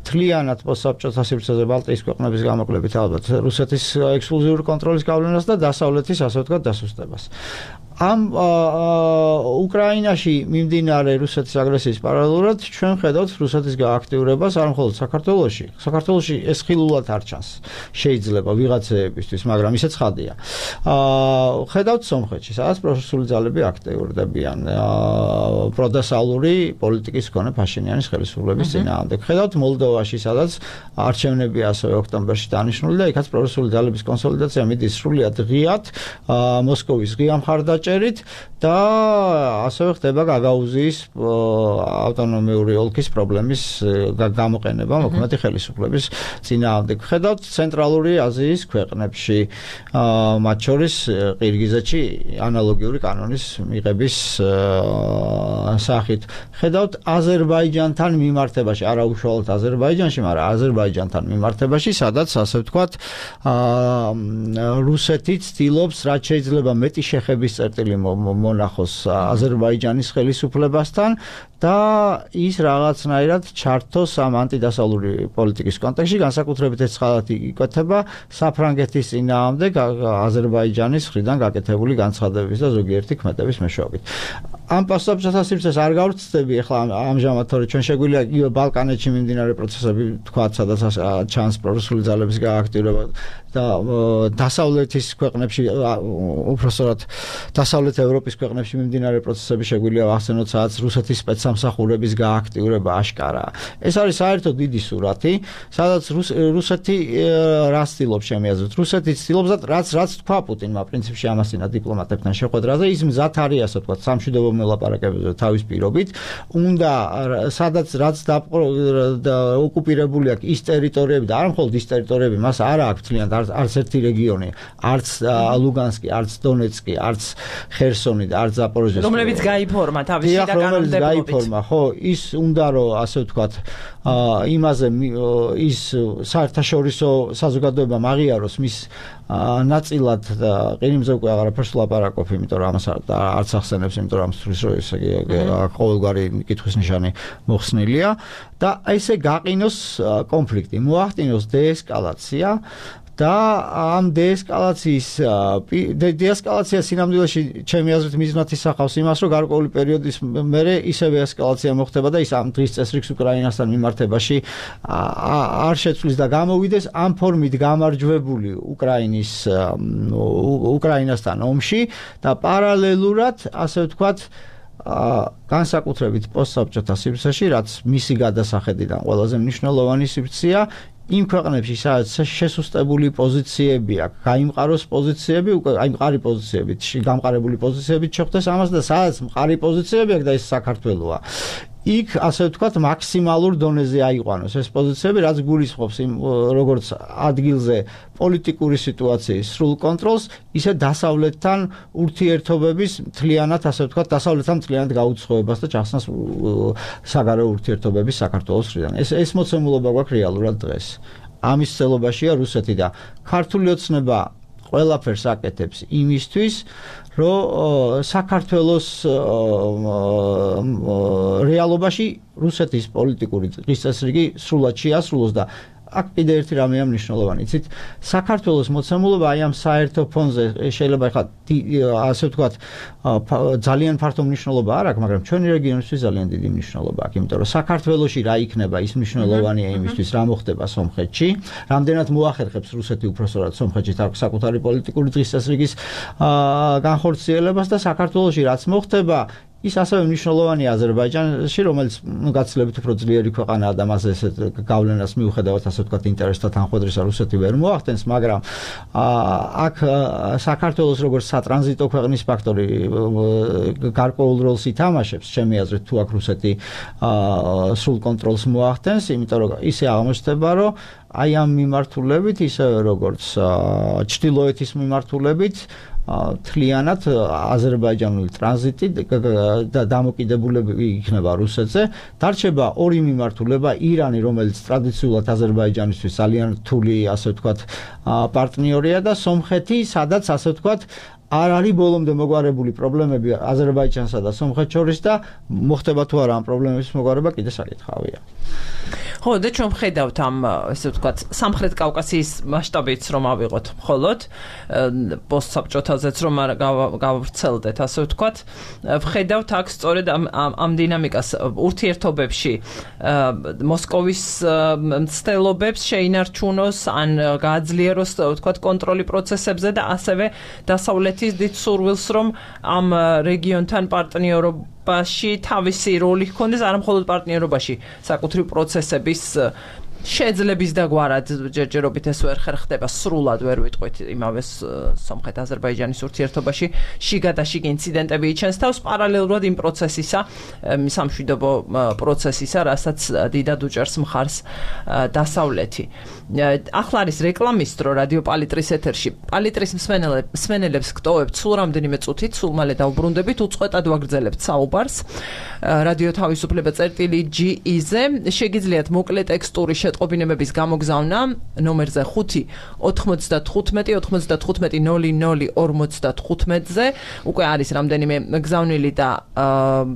თლიანად პოსტსაბჭოთა სივრცეზე ბალტიის ქვეყნების გამოკლებით ალბათ რუსეთის ექსკლუზიური კონტროლის გავლენას და დასავლეთის, ასე ვთქვათ, დასუსტებას. ამ უკრაინაში მიმდინარე რუსეთის აგრესიის პარალელურად ჩვენ ხედავთ რუსეთის გააქტიურებას არ მხოლოდ საქართველოში. საქართველოში ეს ხილულად არ ჩანს. შეიძლება ვიღაცეებისთვის, მაგრამ ისეც ხადია. ხედავთ სომხეთში, სადაც პრორუსული ძალები აქტიურდებიან პროდასავლური პოლიტიკის მქონე ფაშინიანის ხელისუფლების წინააღმდეგ. ხედავთ მოლდოვაში, სადაც არჩევნები ასევე ოქტომბერში დანიშნული და იქაც პრორუსული ძალების კონსოლიდაცია მიდის სრულიად ღიად მოსკოვის ღია მხარდაჭერით მხარდაჭერით და ასევე ხდება გაგაუზიის ავტონომიური ოლქის პრობლემის გამოყენება მოქმედი ხელისუფლების წინააღმდეგ. ხედავთ ცენტრალური აზიის ქვეყნებში, მათ შორის ყირგიზეთში ანალოგიური კანონის მიღების სახით. ხედავთ აზერბაიჯანთან მიმართებაში, არა უშუალოდ აზერბაიჯანში, მაგრამ აზერბაიჯანთან მიმართებაში, სადაც ასე ვთქვათ, რუსეთი ცდილობს რაც შეიძლება მეტი შეხების წერტილი მონახოს აზერბაიჯანის ხელისუფლებასთან და ის რაღაცნაირად ჩართოს ამ ანტიდასავლური პოლიტიკის კონტექსტში, განსაკუთრებით ეს ხალხი იკვეთება საფრანგეთის წინააღმდეგ აზერბაიჯანის მხრიდან გაკეთებული განცხადებების და ზოგიერთი ქმედების მეშვეობით. ამ პასუხობრივ სივრცეს არ გავრცდები ახლა ამჟამად, თორე ჩვენ შეგვიძლია იგივე ბალკანეთში მიმდინარე პროცესები თქვა, სადაც ჩანს პრორუსული ძალების გააქტიურება და დასავლეთის ქვეყნებში, უпростоრად დასავლეთ ევროპის ქვეყნებში მიმდინარე პროცესები შეგვიძლია ვახსენოთ, სადაც რუსეთის სპეცსამსახურების გააქტიურება აშკარაა. ეს არის საერთოდ დიდი სურათი, სადაც რუსეთი რას ცდილობს შემიაზრეთ. რუსეთი ცდილობს და რაც რაც თქვა პუტინმა პრინციპში ამასინა დიპლომატებთან შეხვედრაზე, ის მზად არის ასე ვთქვათ სამშვიდობო მოლაპარაკებებზე თავის პირობით, უნდა სადაც რაც ოკუპირებული აქვს ის ტერიტორიები და არ მხოლოდ ის ტერიტორიები, მას არ აქვს თლიანად არც ერთი რეგიონი, არც ლუგანსკი, არც დონეცკი, არც ხერსონი და არც ზაპოროჟიე. რომლებიც გაიფორმა თავის შიდა კანონმდებლობით. გაიფორმა, ხო, ის უნდა რომ ასე ვთქვათ, იმაზე ის საერთაშორისო საზოგადოება მაღიაროს მის ნაწილად და ყირიმზე უკვე აღარაფერს ვლაპარაკობ, იმიტომ რომ ამას არც ახსენებს, იმიტომ რომ ამისთვის რომ ესე ყოველგვარი კითხვის ნიშანი მოხსნილია და ესე გაყინოს კონფლიქტი, მოახდინოს დეესკალაცია და ამ დეესკალაციის დეესკალაცია სინამდვილეში ჩემი აზრით მიზნად ისახავს იმას, რომ გარკვეული პერიოდის მერე ისევე ესკალაცია მოხდება და ის ამ დღის წესრიგს უკრაინასთან მიმართებაში არ შეცვლის და გამოვიდეს ამ ფორმით გამარჯვებული უკრაინის უკრაინასთან ომში და პარალელურად, ასე ვთქვათ, განსაკუთრებით პოსტსაბჭოთა სივრცეში, რაც მისი გადასახედიდან ყველაზე მნიშვნელოვანი სივრცეა, იმ ქვეყნებში, სადაც შესუსტებული პოზიციები აქვს, გაიმყაროს პოზიციები, უკვე აი მყარი პოზიციებით, გამყარებული პოზიციებით შეხვდეს ამას და სადაც მყარი პოზიციები აქვს და ეს საქართველოა. იქ ასე ვთქვათ მაქსიმალურ დონეზე აიყვანოს ეს პოზიციები, რაც გულისხმობს იმ როგორც ადგილზე პოლიტიკური სიტუაციის სრულ კონტროლს, ისე დასავლეთთან ურთიერთობების მთლიანად, ასე ვთქვათ, დასავლეთთან მთლიანად გაუცხოებას და ჩახსნას საგარეო ურთიერთობების საქართველოს მხრიდან. ეს ეს მოცემულობა გვაქვს რეალურად დღეს. ამის ცელობაშია რუსეთი და ქართული ოცნება ყველაფერს აკეთებს იმისთვის, რომ საქართველოს რეალობაში რუსეთის პოლიტიკური წესრიგი სრულად შეასრულოს და აქ კიდე ერთი რამეა მნიშვნელოვანი. იცით, საქართველოს მოცემულობა აი ამ საერთო ფონზე შეიძლება ხა ასე ვთქვათ ძალიან ფართო მნიშვნელობა არ აქვს, მაგრამ ჩვენი რეგიონისთვის ძალიან დიდი მნიშვნელობა აქვს, იმიტომ რომ საქართველოში რა იქნება ის მნიშვნელოვანია იმისთვის, რა მოხდება სომხეთში, რამდენად მოახერხებს რუსეთი უпростоრად სომხეთში საკუთარი პოლიტიკური დღესასრიგის განხორციელებას და საქართველოში რაც მოხდება ის ასევე მნიშვნელოვანია აზერბაიჯანში, რომელიც გაცილებით უფრო ძლიერი ქვეყანაა და მას ესეთ გავლენას მიუხედავად ასე ვთქვათ ინტერესთა თანხმედრისა რუსეთი ვერ მოახდენს, მაგრამ აქ საქართველოს როგორც სატრანზიტო ქვეყნის ფაქტორი გარკვეულ როლს ითამაშებს, ჩემი აზრით, თუ აქ რუსეთი სრულ კონტროლს მოახდენს, იმიტომ რომ ისე აღმოჩნდება, რომ აი ამ მიმართულებით, ისევე როგორც ჩრდილოეთის მიმართულებით თლიანად აზერბაიჯანული ტრანზიტი და დამოკიდებულები იქნება რუსეთზე. დარჩება ორი მიმართულება, ირანი, რომელიც ტრადიციულად აზერბაიჯანისთვის ძალიან რთული, ასე ვთქვათ, პარტნიორია და სომხეთი, სადაც ასე ვთქვათ, არ არის ბოლომდე მოგვარებული პრობლემები აზერბაიჯანსა და სომხეთს შორის და მოხდება თუ არა ამ პრობლემების მოგვარება კიდე საკითხავია. ხო, და ჩვენ ვხედავთ ამ, ესე ვთქვათ, სამხრეთ კავკასიის მასშტაბით რომ ავიღოთ მხოლოდ პოსტსაბჭოთაზეც რომ გავვრცელდეთ, ასე ვთქვათ, ვხედავთ აქ სწორედ ამ ამ დინამიკას ურთიერთობებში მოსკოვის მცდელობებს შეინარჩუნოს ან გააძლიეროს, ვთქვათ, კონტროლი პროცესებზე და ასევე დასავლეთის დიდ სურვილს რომ ამ რეგიონთან პარტნიორობაში თავისი როლი ჰქონდეს, არა მხოლოდ პარტნიორობაში, საკუთრივ პროცესების შეძლების და გვარად ჯერჯერობით ეს ვერ ხერხდება სრულად ვერ ვიტყვით იმავე სომხეთ-აზერბაიჯანის ურთიერთობაში შიგადაშიგ ინციდენტები იჩენს თავს პარალელურად იმ პროცესისა სამშვიდობო პროცესისა რასაც დიდად უჭერს მხარს დასავლეთი ახლა არის რეკლამის დრო რადიო პალიტრის ეთერში პალიტრის მსმენელებს გტოვებთ სულ რამდენიმე წუთით სულ მალე დავბრუნდებით უწყვეტად ვაგრძელებთ საუბარს რადიო თავისუფლება წერტილი ჯი ი-ზე შეგიძლიათ მოკლე ტექსტური შეტყობინებების გამოგზავნა ნომერზე ხუთი ოთხმოცდათხუთმეტი ოცდათხუთმეტი ნული ნული ორმოცდათხუთმეტზე უკვე არის რამდენიმე გზავნილი და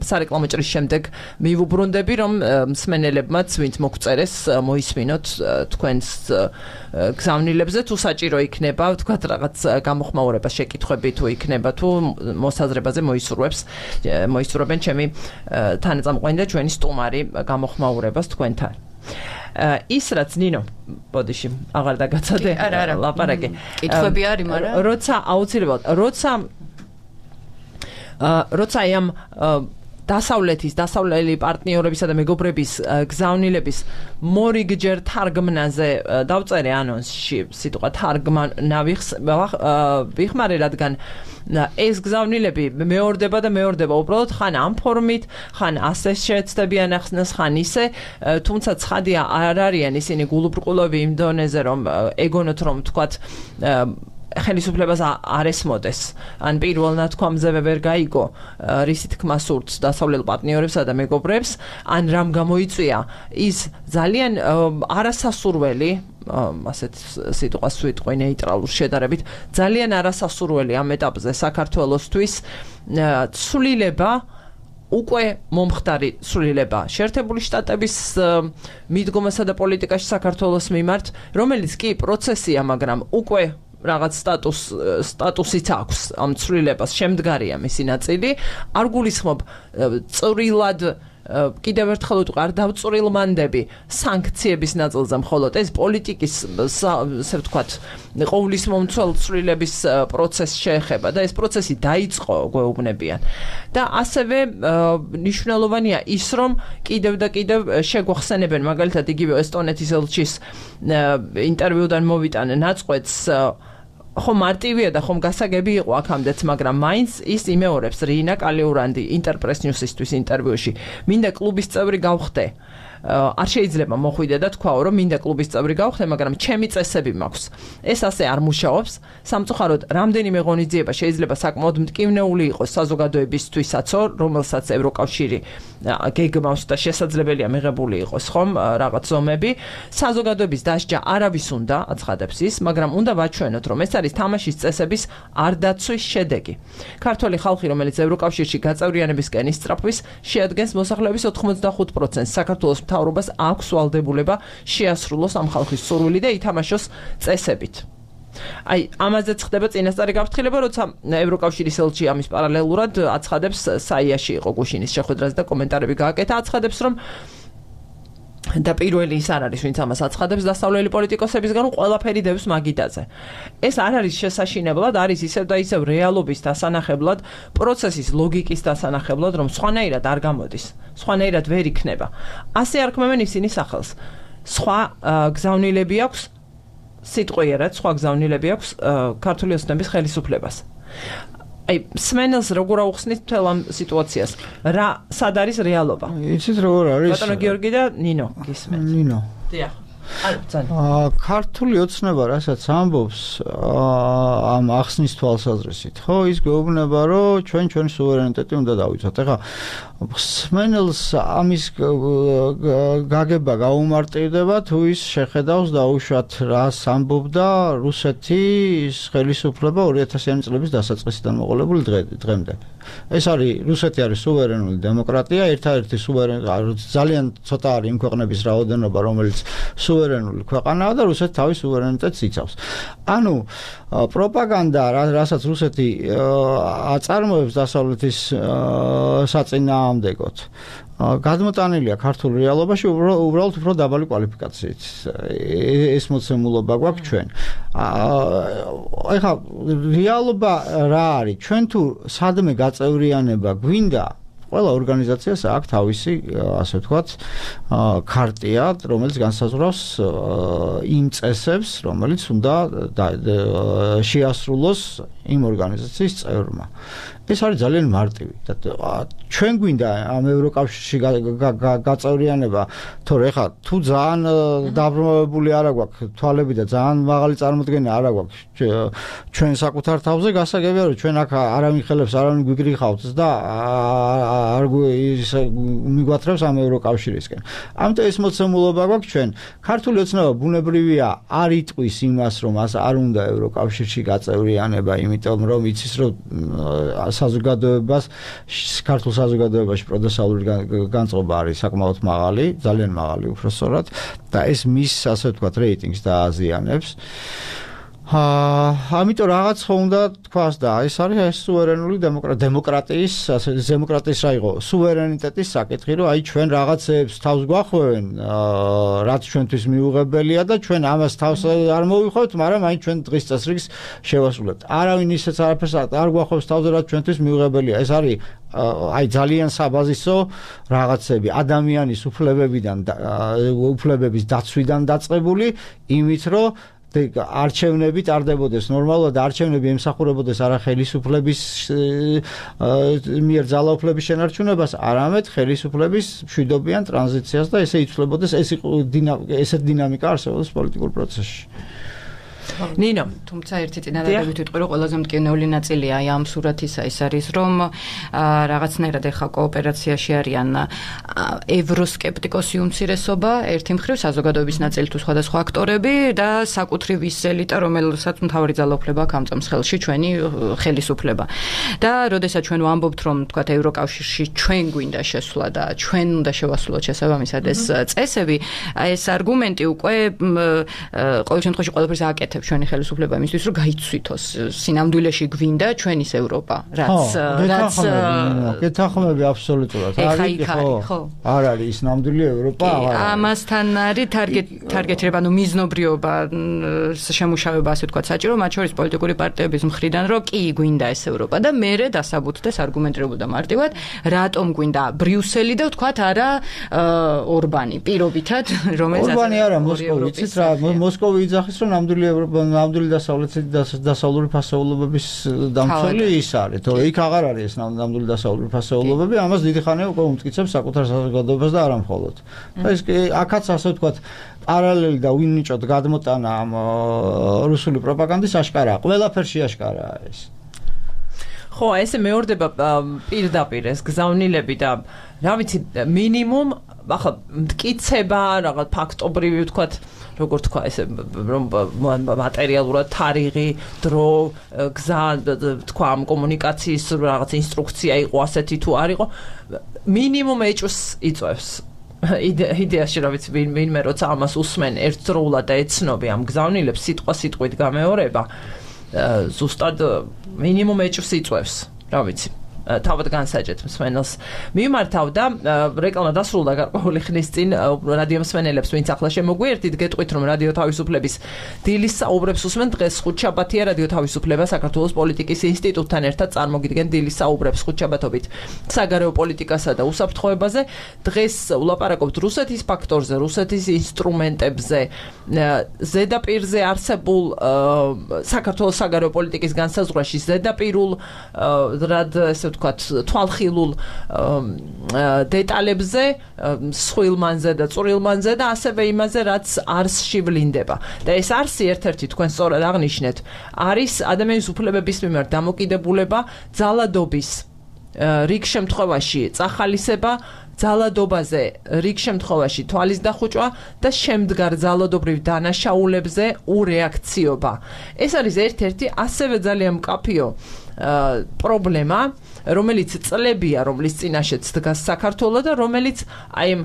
სარეკლამო ჭრის შემდეგ მივუბრუნდები რომ მსმენელებმაც ვინც მოგწერეს მოისმინოთ თქვენს გზავნილებზე თუ საჭირო იქნება თქვათ რაღაც გამოხმაურება შეკითხვები თუ იქნება თუ მოსაზრებაზე მოისურვებს მოისურვებენ ჩემი თანაწამყვანი და ჩვენი სტუმარი გამოხმაურებას თქვენთან ის რაც ნინო ბოდიში აღარ დაგაცადე ლაპარაკი კითხვები არის მაგრამ როცა აუცილებლად როცა როცა ამ დასავლეთის დასავლელი პარტნიორებისა და მეგობრების გზავნილების მორიგჯერ თარგმნაზე დავწერე ანონსში სიტყვა თარგმნა ვიხმარე რადგან ეს გზავნილები მეორდება და მეორდება უბრალოდ ხან ამ ფორმით ხან ასე შეეცდებიან ახსნას ხან ისე თუმცა ცხადია არ არიან ისინი გულუბრყულები იმ დონეზე რომ ეგონოთ რომ თქვათ ხელისუფლებას არ ესმოდეს ან პირველ ნათქვამზე ვერ გაიგო რისი თქმა სურთ დასავლელ პარტნიორებსა და მეგობრებს ან რამ გამოიწვია ის ძალიან არასასურველი ასეთ სიტყვას ვიტყვი ნეიტრალურ შედარებით ძალიან არასასურველი ამ ეტაპზე საქართველოსთვის ცვლილება უკვე მომხდარი ცვლილება შეერთებული შტატების მიდგომასა და პოლიტიკაში საქართველოს მიმართ რომელიც კი პროცესია მაგრამ უკვე რაღაც სტატუს სტატუსიც აქვს ამ ცვლილებას შემდგარია მისი ნაწილი არ გულისხმობ წვრილად კიდევ ერთხელ ვიტყვი არ დავწვრილმანდები სანქციების ნაწილზე მხოლოდ ეს პოლიტიკის ასე ვთქვათ ყოვლის მომცველ ცვლილების პროცესს შეეხება და ეს პროცესი დაიწყო გვეუბნებიან და ასევე მნიშვნელოვანია ის რომ კიდევ და კიდევ შეგვახსენებენ მაგალითად იგივე ესტონეთის ელჩის ინტერვიუდან მოვიტანე ნაწყვეტს ხომ მარტივია და ხომ გასაგები იყო აქამდეც, მაგრამ მაინც ის იმეორებს რინა კალიურანდი ინტერპრეს ნიუსისთვის ინტერვიუში. მინდა კლუბის წევრი გავხდე. არ შეიძლება მოხვიდე და თქვაო რომ მინდა კლუბის წევრი გავხდე, მაგრამ ჩემი წესები მაქვს. ეს ასე არ მუშაობს. სამწუხაროდ, რამდენიმე ღონისძიება შეიძლება საკმაოდ მტკივნეული იყოს საზოგადოებისთვისაც, რომელსაც ევროკავშირი გეგმავს და შესაძლებელია მიღებული იყოს ხომ რაღაც ზომები. საზოგადოების დასჯა არავის უნდა აცხადებს ის, მაგრამ უნდა ვაჩვენოთ რომ ეს არის თამაშის წესების არ დაცვის შედეგი. ქართველი ხალხი, რომელიც ევროკავშირში გაწევრიანებისკენ ისწრაფვის, შეადგენს მოსახლეობის ოთხმოცდახუთ პროცენტს. საქართველოს მთავრობას აქვს ვალდებულება შეასრულოს ამ ხალხის სურვილი და ითამაშოს წესებით. აი, ამაზეც ხდება წინასწარი გაფრთხილება, როცა ევროკავშირის ელჩი ამის პარალელურად აცხადებს, საიაში იყო გუშინის შეხვედრაზე და კომენტარები გააკეთა, აცხადებს, რომ და პირველი ის არ არის, ვინც ამას აცხადებს დასავლელი პოლიტიკოსებისგან, ყველაფერი დევს მაგიდაზე. ეს არ არის შესაშინებლად, არის ისევ და ისევ რეალობის დასანახებლად, პროცესის ლოგიკის დასანახებლად, რომ სხვანაირად არ გამოდის, სხვანაირად ვერ იქნება. ასე არქმევენ ისინი სახელს. სხვა გზავნილები აქვს, სიტყვიერად სხვა გზავნილები აქვს ქართული ოცნების ხელისუფლებას. აი, სმენელს როგორ აუხსნით მთელ ამ სიტუაციას? რა სად არის რეალობა? იცით როგორ არის? ბატონო გიორგი და ნინო გისმენთ. ნინო. დიახ. ქართული ოცნება რასაც ამბობს ამ ახსნის თვალსაზრისით, ხო, ის გვეუბნება, რომ ჩვენ ჩვენი სუვერენიტეტი უნდა დავიცვათ. ეხლა სმენელს ამის გაგება გაუმარტივდება, თუ ის შეხედავს დაუშვათ რას ამბობდა რუსეთის ხელისუფლება ორი ათასიანი წლების დასაწყისიდან მოყოლებული დღემდე. ეს არის რუსეთი არის სუვერენული დემოკრატია, ერთადერთი სუვერენი ძალიან ცოტა არის იმ ქვეყნების რაოდენობა, რომელიც სუვერენული ქვეყანაა და რუსეთი თავის სუვერენიტეტს იცავს. ანუ პროპაგანდა, რასაც რუსეთი აწარმოებს დასავლეთის საწინააღმდეგოდ, გადმოტანილია ქართულ რეალობაში უბრალოდ უფრო დაბალი კვალიფიკაციით. ეს მოცემულობა გვაქვს ჩვენ. ეხლა რეალობა რა არის? ჩვენ თუ სადმე გაწევრიანება გვინდა, ყველა ორგანიზაციას აქვს თავისი, ასე ვთქვათ, ქარტია, რომელიც განსაზღვრავს იმ წესებს, რომელიც უნდა შეასრულოს იმ ორგანიზაციის წევრმა. ეს არის ძალიან მარტივი. ჩვენ გვინდა ამ ევროკავშირში გაწევრიანება, თორე ეხლა თუ ძალიან დაბრუნებული არ აქვს თვალები და ძალიან მაღალი წარმოდგენა არ აქვს ჩვენ საკუთარ თავზე, გასაგებია რომ ჩვენ აქ არავინ ხელებს არავინ გვიგრიხავთ და არ მიგვათრევს ამ ევროკავშირისკენ. ამიტომ ეს მოცემულობა გვაქვს ჩვენ. ქართული ოცნება ბუნებრივია არ იტყვის იმას, რომ არ უნდა ევროკავშირში გაწევრიანება, იმიტომ რომ იცის რომ საზოგადოებას ქართულ საზოგადოებაში პროდესალური განწყობა არის საკმაოდ მაღალი, ძალიან მაღალი უბრალოდ და ეს მის ასე ვთქვათ რეიტინგს დააზიანებს. აა ამიტომ რაღაც ხო უნდა თქვას და ეს არის ეს სუვერენული დემოკრატიის ასე დემოკრატიის რა იყო სუვერენიტეტის საკითხი რომ აი ჩვენ რაღაცებს თავს გვახვევენ რაც ჩვენთვის მიუღებელია და ჩვენ ამას თავს არ მოვიხოთ მაგრამ აი ჩვენ დღის წესრიგს შევასრულებთ არავინ ისეც არაფერს არ გვახვევს თავზე რაც ჩვენთვის მიუღებელია ეს არის აი ძალიან საბაზისო რაღაცები ადამიანის უფლებებიდან უფლებების დაცვიდან დაწყებული იმით რომ არჩევნები ტარდებოდეს ნორმალურად არჩევნები ემსახურებოდეს არა ხელისუფლების მიერ ძალაუფლების შენარჩუნებას, არამედ ხელისუფლების მშვიდობიან ტრანზიციას და ესე იცვლებოდეს ეს ესეთ დინამიკა არსებობს პოლიტიკურ პროცესში. ნინო, თუმცა ერთი წინადადებით ვიტყვი, რომ ყველაზე მტკივნეული ნაწილია აი ამ სურათისა ის არის, რომ რაღაცნაირად ეხა კოოპერაციაში არიან ევროსკეპტიკოსი უმცირესობა, ერთი მხრივ საზოგადოების ნაწილი თუ სხვადასხვა აქტორები და საკუთრივ ის ელიტა, რომელსაც მთავარი ძალაუფლება აქვს ამწამს ხელში ჩვენი ხელისუფლება. და როდესაც ჩვენ ვამბობთ, რომ თქვათ ევროკავშირში ჩვენ გვინდა შესვლა და ჩვენ უნდა შევასრულოთ შესაბამისად ეს წესები, ეს არგუმენტი უკვე ყოველ შემთხვევაში ყველაფერს აკეთებს ჩვენი ხელისუფლება იმისთვის რომ გაიცვითოს სინამდვილეში გვინდა ჩვენის ევროპა რაც რაც გეთანხმები აბსოლუტურად არის ხო არ არის ის ნამდვილი ევროპა აღარ არის ამასთან არის თარგეტირება ანუ მიზნობრიობა შემუშავება ასე ვთქვათ საჭირო მათ შორის პოლიტიკური პარტიების მხრიდან რომ კი გვინდა ეს ევროპა და მერე დასაბუთდეს არგუმენტირებულ და მარტივად რატომ გვინდა ბრიუსელი და ვთქვათ არა ორბანი პირობითად რომელიც ორბანი არა მოსკოვი იცით რა მოსკოვი იძახის რომ ნამდვილი ნამდვილი დასავლური ფასეულობების დამცველი ის არის, თორე იქ აღარ არის ეს ნამდვილი დასავლური ფასეულობები, ამას დიდი ხანია უკვე უმტკიცებს საკუთარ საზოგადოებას და არა მხოლოდ. ეს აქაც ასე ვთქვათ, პარალელი და უინიჭოდ გადმოტანა ამ რუსული პროპაგანდის აშკარაა, ყველაფერში აშკარაა ეს. ხო, ესე მეორდება პირდაპირ ეს გზავნილები და რა ვიცი, მინიმუმ ახლა მტკიცება, რაღაც ფაქტობრივი ვთქვათ როგორ თქვა ესე რომ მატერიალურად თარიღი დრო გზა თქვა ამ კომუნიკაციის რაღაც ინსტრუქცია იყო ასეთი თუ არ იყო მინიმუმ ეჭვს იწევს იდეაში რა ვიცი ვინმე როცა ამას უსმენ ერთდროულად და ეცნობი ამ გზავნილებს სიტყვა სიტყვით გამეორება ზუსტად მინიმუმ ეჭვს იწევს რა ვიცი თავად განსაჯეთ მსმენელს მიმართავდა რეკლამა დასრულდა გარკვეული ხნის წინ რადიო მსმენელებს ვინც ახლა შემოგვიერთით გეტყვით რომ რადიო თავისუფლების დილის საუბრებს უსმენ დღეს ხუთშაბათია რადიო თავისუფლება საქართველოს პოლიტიკის ინსტიტუტთან ერთად წარმოგიდგენ დილის საუბრებს ხუთშაბათობით საგარეო პოლიტიკასა და უსაფრთხოებაზე დღეს ვლაპარაკობთ რუსეთის ფაქტორზე რუსეთის ინსტრუმენტებზე ზედაპირზე არსებულ საქართველოს საგარეო პოლიტიკის განსაზღვრაში ზედაპირულ რად ესე ვთქვათ თვალხილულ დეტალებზე სხვილმანზე და წვრილმანზე და ასევე იმაზე რაც არსში ვლინდება და ეს არსი ერთ-ერთი თქვენ სწორად აღნიშნეთ არის ადამიანის უფლებების მიმართ დამოკიდებულება ძალადობის რიგ შემთხვევაში წახალისება ძალადობაზე რიგ შემთხვევაში თვალის დახუჭვა და შემდგარ ძალადობრივ დანაშაულებზე ურეაქციობა ეს არის ერთ-ერთი ასევე ძალიან მკაფიო პრობლემა რომელიც წლებია რომლის წინაშეც დგას საქართველო და რომელიც აი ამ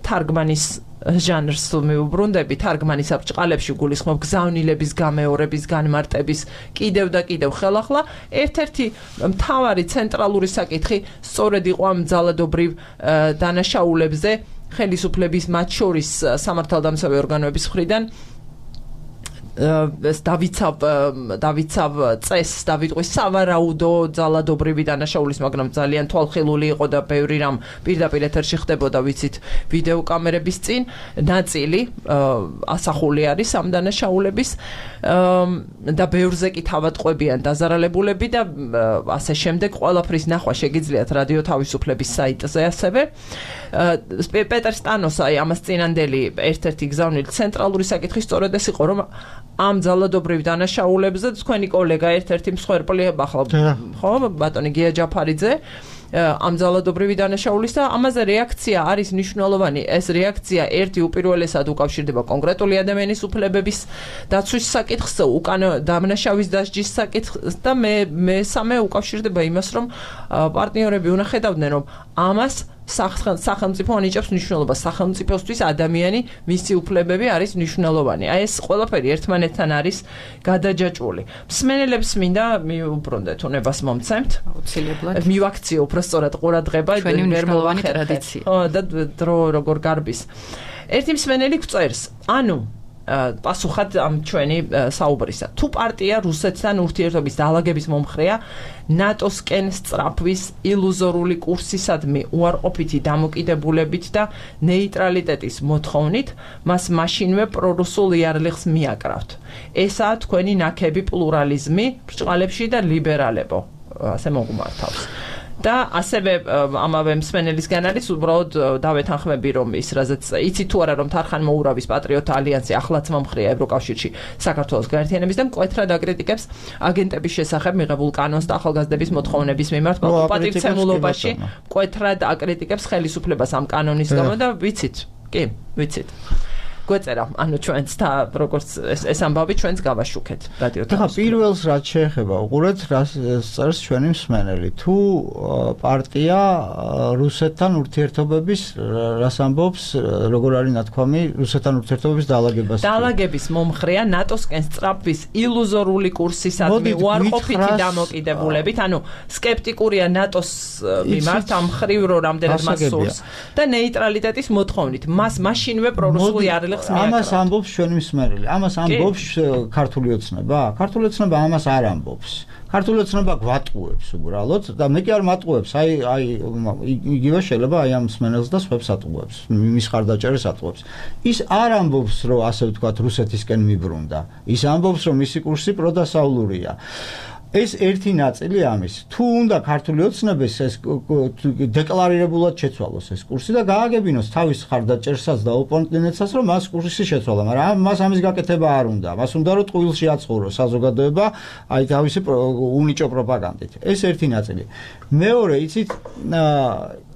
თარგმანის ჟანრს მიუბრუნდები თარგმანის აბჭყალებში გულისხმობ გზავნილების გამეორების განმარტების კიდევ და კიდევ ხელახლა ერთ-ერთი მთავარი ცენტრალური საკითხი სწორედ იყო ამ ძალადობრივ დანაშაულებზე ხელისუფლების მათ შორის სამართალდამცავი ორგანოების მხრიდან ეს დავიცავ დავიცავ წესს და ვიტყვი სავარაუდო ძალადობრივი დანაშაულის, მაგრამ ძალიან თვალხილული იყო და ბევრი რამ პირდაპირ ეთერში ხდებოდა, ვიცით, ვიდეო კამერების წინ. ნაწილი ასახული არის ამ დანაშაულების და ბევრზე კი თავატყვებიან დაზარალებულები და ასე შემდეგ. ყველაფრის ნახვა შეგიძლიათ რადიო თავისუფლების საიტზე ასევე. პეტერ სტანოს აი ამას წინანდელი ერთ-ერთი გზავნილი ცენტრალური საკითხი სწორედ ეს იყო, რომ ამ ძალადობრივ დანაშაულებზე თქვენი კოლეგა ერთ-ერთი მსხვერპლი ახლა ხო ბატონი გია ჯაფარიძე ამ ძალადობრივი დანაშაულის და ამაზე რეაქცია არის მნიშვნელოვანი. ეს რეაქცია ერთი უპირველესად უკავშირდება კონკრეტული ადამიანის უფლებების დაცვის საკითხს, უკან დამნაშავის დასჯის საკითხს და მე მესამე უკავშირდება იმას, რომ პარტნიორები უნდა ხედავდნენ, რომ ამას სახელმწიფო ანიჭებს მნიშვნელობას. სახელმწიფოსთვის ადამიანი, მისი უფლებები არის მნიშვნელოვანი. აი ეს ყველაფერი ერთმანეთთან არის გადაჯაჭვული. მსმენელებს მინდა მიუბრუნდეთ, უნებას მომცემთ. აუცილებლად. მივაქციო უფრო სწორად ყურადღება, ჩვენი მნიშვნელოვანი ტრადიცია. ხო და დრო როგორ გარბის. ერთი მსმენელი გვწერს, ანუ პასუხად ამ ჩვენი საუბრისა. თუ პარტია რუსეთთან ურთიერთობის დაალაგების მომხრეა, ნატოსკენ სწრაფვის ილუზორული კურსისადმი უარყოფითი დამოკიდებულებით და ნეიტრალიტეტის მოთხოვნით, მას მაშინვე პრორუსულ იარლიხს მიაკრავთ. ესაა თქვენი ნაქები პლურალიზმი ბრჭყალებში და ლიბერალებო. ასე მოგვმართავს. და ასევე ამავე მსმენელისგან არის უბრალოდ დავეთანხმები, რომ ის რაზეც იცი თუ არა, რომ თარხან მოურავის პატრიოტთა ალიანსი ახლაც მომხრეა ევროკავშირში საქართველოს გაერთიანების და მკვეთრად აკრიტიკებს აგენტების შესახებ მიღებულ კანონს და ახალგაზრდების მოთხოვნების მიმართ პატივცემულობაში მკვეთრად აკრიტიკებს ხელისუფლებას ამ კანონის გამო და ვიცით, კი, ვიცით. გვეწერა, ანუ ჩვენც და როგორც ეს ამბავი ჩვენც გავაშუქეთ რადიო თავისუფლებას. ახლა პირველს რაც შეეხება, უყურეთ რას წერს ჩვენი მსმენელი. თუ პარტია რუსეთთან ურთიერთობების რას ამბობს, როგორ არის ნათქვამი რუსეთთან ურთიერთობების დაალაგებას. დაალაგების მომხრეა ნატოსკენ სწრაფვის ილუზორული კურსისადმი უარყოფითი დამოკიდებულებით, ანუ სკეპტიკურია ნატოს მიმართ ამ მხრივ რო რამდენად მას სურს და ნეიტრალიტეტის მოთხოვნით. მას მაშინვე პრორუსული იარლიხს ამას ამბობს ჩვენი მსმენელი. ამას ამბობს ქართული ოცნება? ქართული ოცნება ამას არ ამბობს. ქართული ოცნება გვატყუებს უბრალოდ და მე კი არ მატყუებს. აი აი იგივე შეიძლება აი ამ მსმენელს და სხვებს ატყუებს. მის ხარდაჭერას ატყუებს. ის არ ამბობს, რომ ასე ვთქვათ, რუსეთისკენ მიბრუნდა. ის ამბობს, რომ მისი კურსი პროდასავლურია. ეს ერთი ნაწილი ამის. თუ უნდა ქართული ოცნების ეს დეკლარირებულად შეცვალოს ეს კურსი და გააგებინოს თავის ხარდაჭერსაც და ოპონენტებსაც, რომ მას კურსი შეცვალა, მაგრამ მას ამის გაკეთება არ უნდა. მას უნდა რომ ტყუილში აწყურო საზოგადოება აი თავისი უნიჭო პროპაგანდით. ეს ერთი ნაწილი. მეორე, იცით,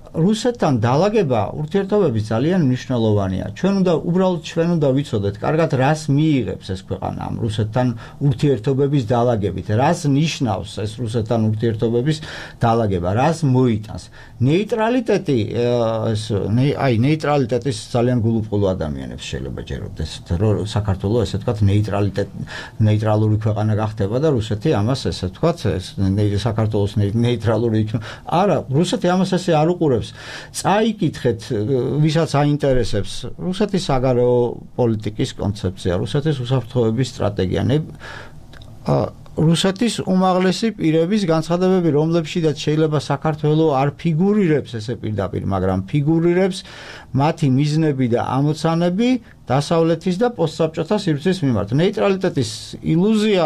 რუსეთთან დაალაგება ურთიერთობების ძალიან მნიშვნელოვანია. ჩვენ უნდა უბრალოდ ჩვენ უნდა ვიცოდეთ, კარგად რას მიიღებს ეს ქვეყანა ამ რუსეთთან ურთიერთობების დაალაგებით, რას ნიშნავს ეს რუსეთთან ურთიერთობების დაალაგება, რას მოიტანს. ნეიტრალიტეტი ეს აი ნეიტრალიტეტის ძალიან გულუბრყვილო ადამიანებს შეიძლება ჯეროდეს, რომ საქართველოს ესე ვთქვათ ნეიტრალიტეტ ნეიტრალური ქვეყანა გახდება და რუსეთი ამას ესე ვთქვათ საქართველოს ნეიტრალური იქნება. არა, რუსეთი ამას ესე არ უყურებს. წაიკითხეთ, ვისაც აინტერესებს რუსეთის საგარეო პოლიტიკის კონცეფცია, რუსეთის უსაფრთხოების სტრატეგია, რუსეთის უმაღლესი პირების განცხადებები, რომლებშიც შეიძლება საქართველოს არ ფიგურირებს ესე პირდაპირ, მაგრამ ფიგურირებს მათი მიზნები და ამოცანები დასავლეთის და პოსტსაბჭოთა სივრცის მიმართ. ნეიტრალიტეტის ილუზია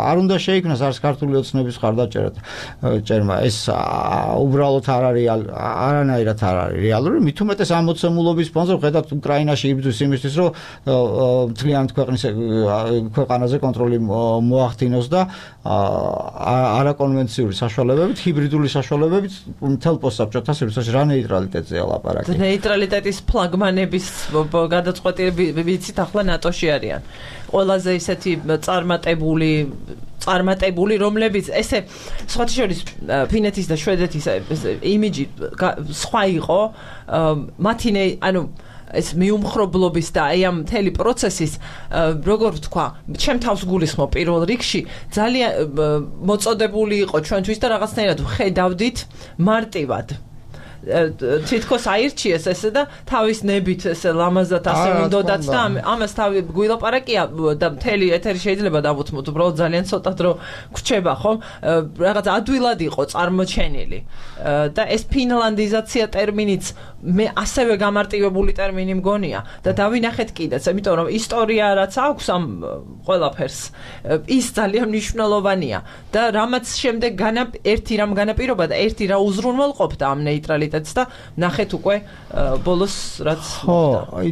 არ უნდა შეიქმნას არც ქართული ოცნების ხარდაჭერა. ეს უბრალოდ არ არის არანაირად არ არის რეალური. მით უმეტეს ამ მოცემულობის ფონზე ხედავთ უკრაინაში იბრძვის იმისთვის, რომ მთლიანად ქვეყნის ქვეყანაზე კონტროლი მოახდინოს და არაკონვენციური საშუალებებით, ჰიბრიდული საშუალებებით მთელ პოსტსაბჭოთა სივრცეში რა ნეიტრალიტეტზეა ლაპარაკი. ნეიტრალიტეტის ფლაგმანების გადაწყვეტი ვიცით ახლა ნატოში არიან. ყველაზე ისეთი წარმატებული წარმატებული რომლებიც ესე სხვათა შორის ფინეთის და შვედეთის იმიჯი სხვა იყო მათი ანუ ეს მიუმხრობლობის და აი ამ მთელი პროცესის როგორ ვთქვა, ჩემ თავს გულისხმობ პირველ რიგში ძალიან მოწოდებული იყო ჩვენთვის და რაღაცნაირად ვხედავდით მარტივად. თითქოს აირჩიეს ესე და თავის ნებით ესე ლამაზად ასე მინდოდაც და ამას თავი გვილაპარაკია და მთელი ეთერი შეიძლება დავუთმოთ უბრალოდ ძალიან ცოტა დრო გვრჩება ხომ რაღაც ადვილად იყო წარმოჩენილი და ეს ფინლანდიზაცია ტერმინიც მე ასევე გამარტივებული ტერმინი მგონია და დავინახეთ კიდეც იმიტომ რომ ისტორია რაც აქვს ამ ყველაფერს ის ძალიან მნიშვნელოვანია და რამაც შემდეგ განა ერთი რამ განაპირობა და ერთი რა უზრუნველყოფდა ამ ნეიტრალიტეტს და ნახეთ უკვე ბოლოს რაც ხო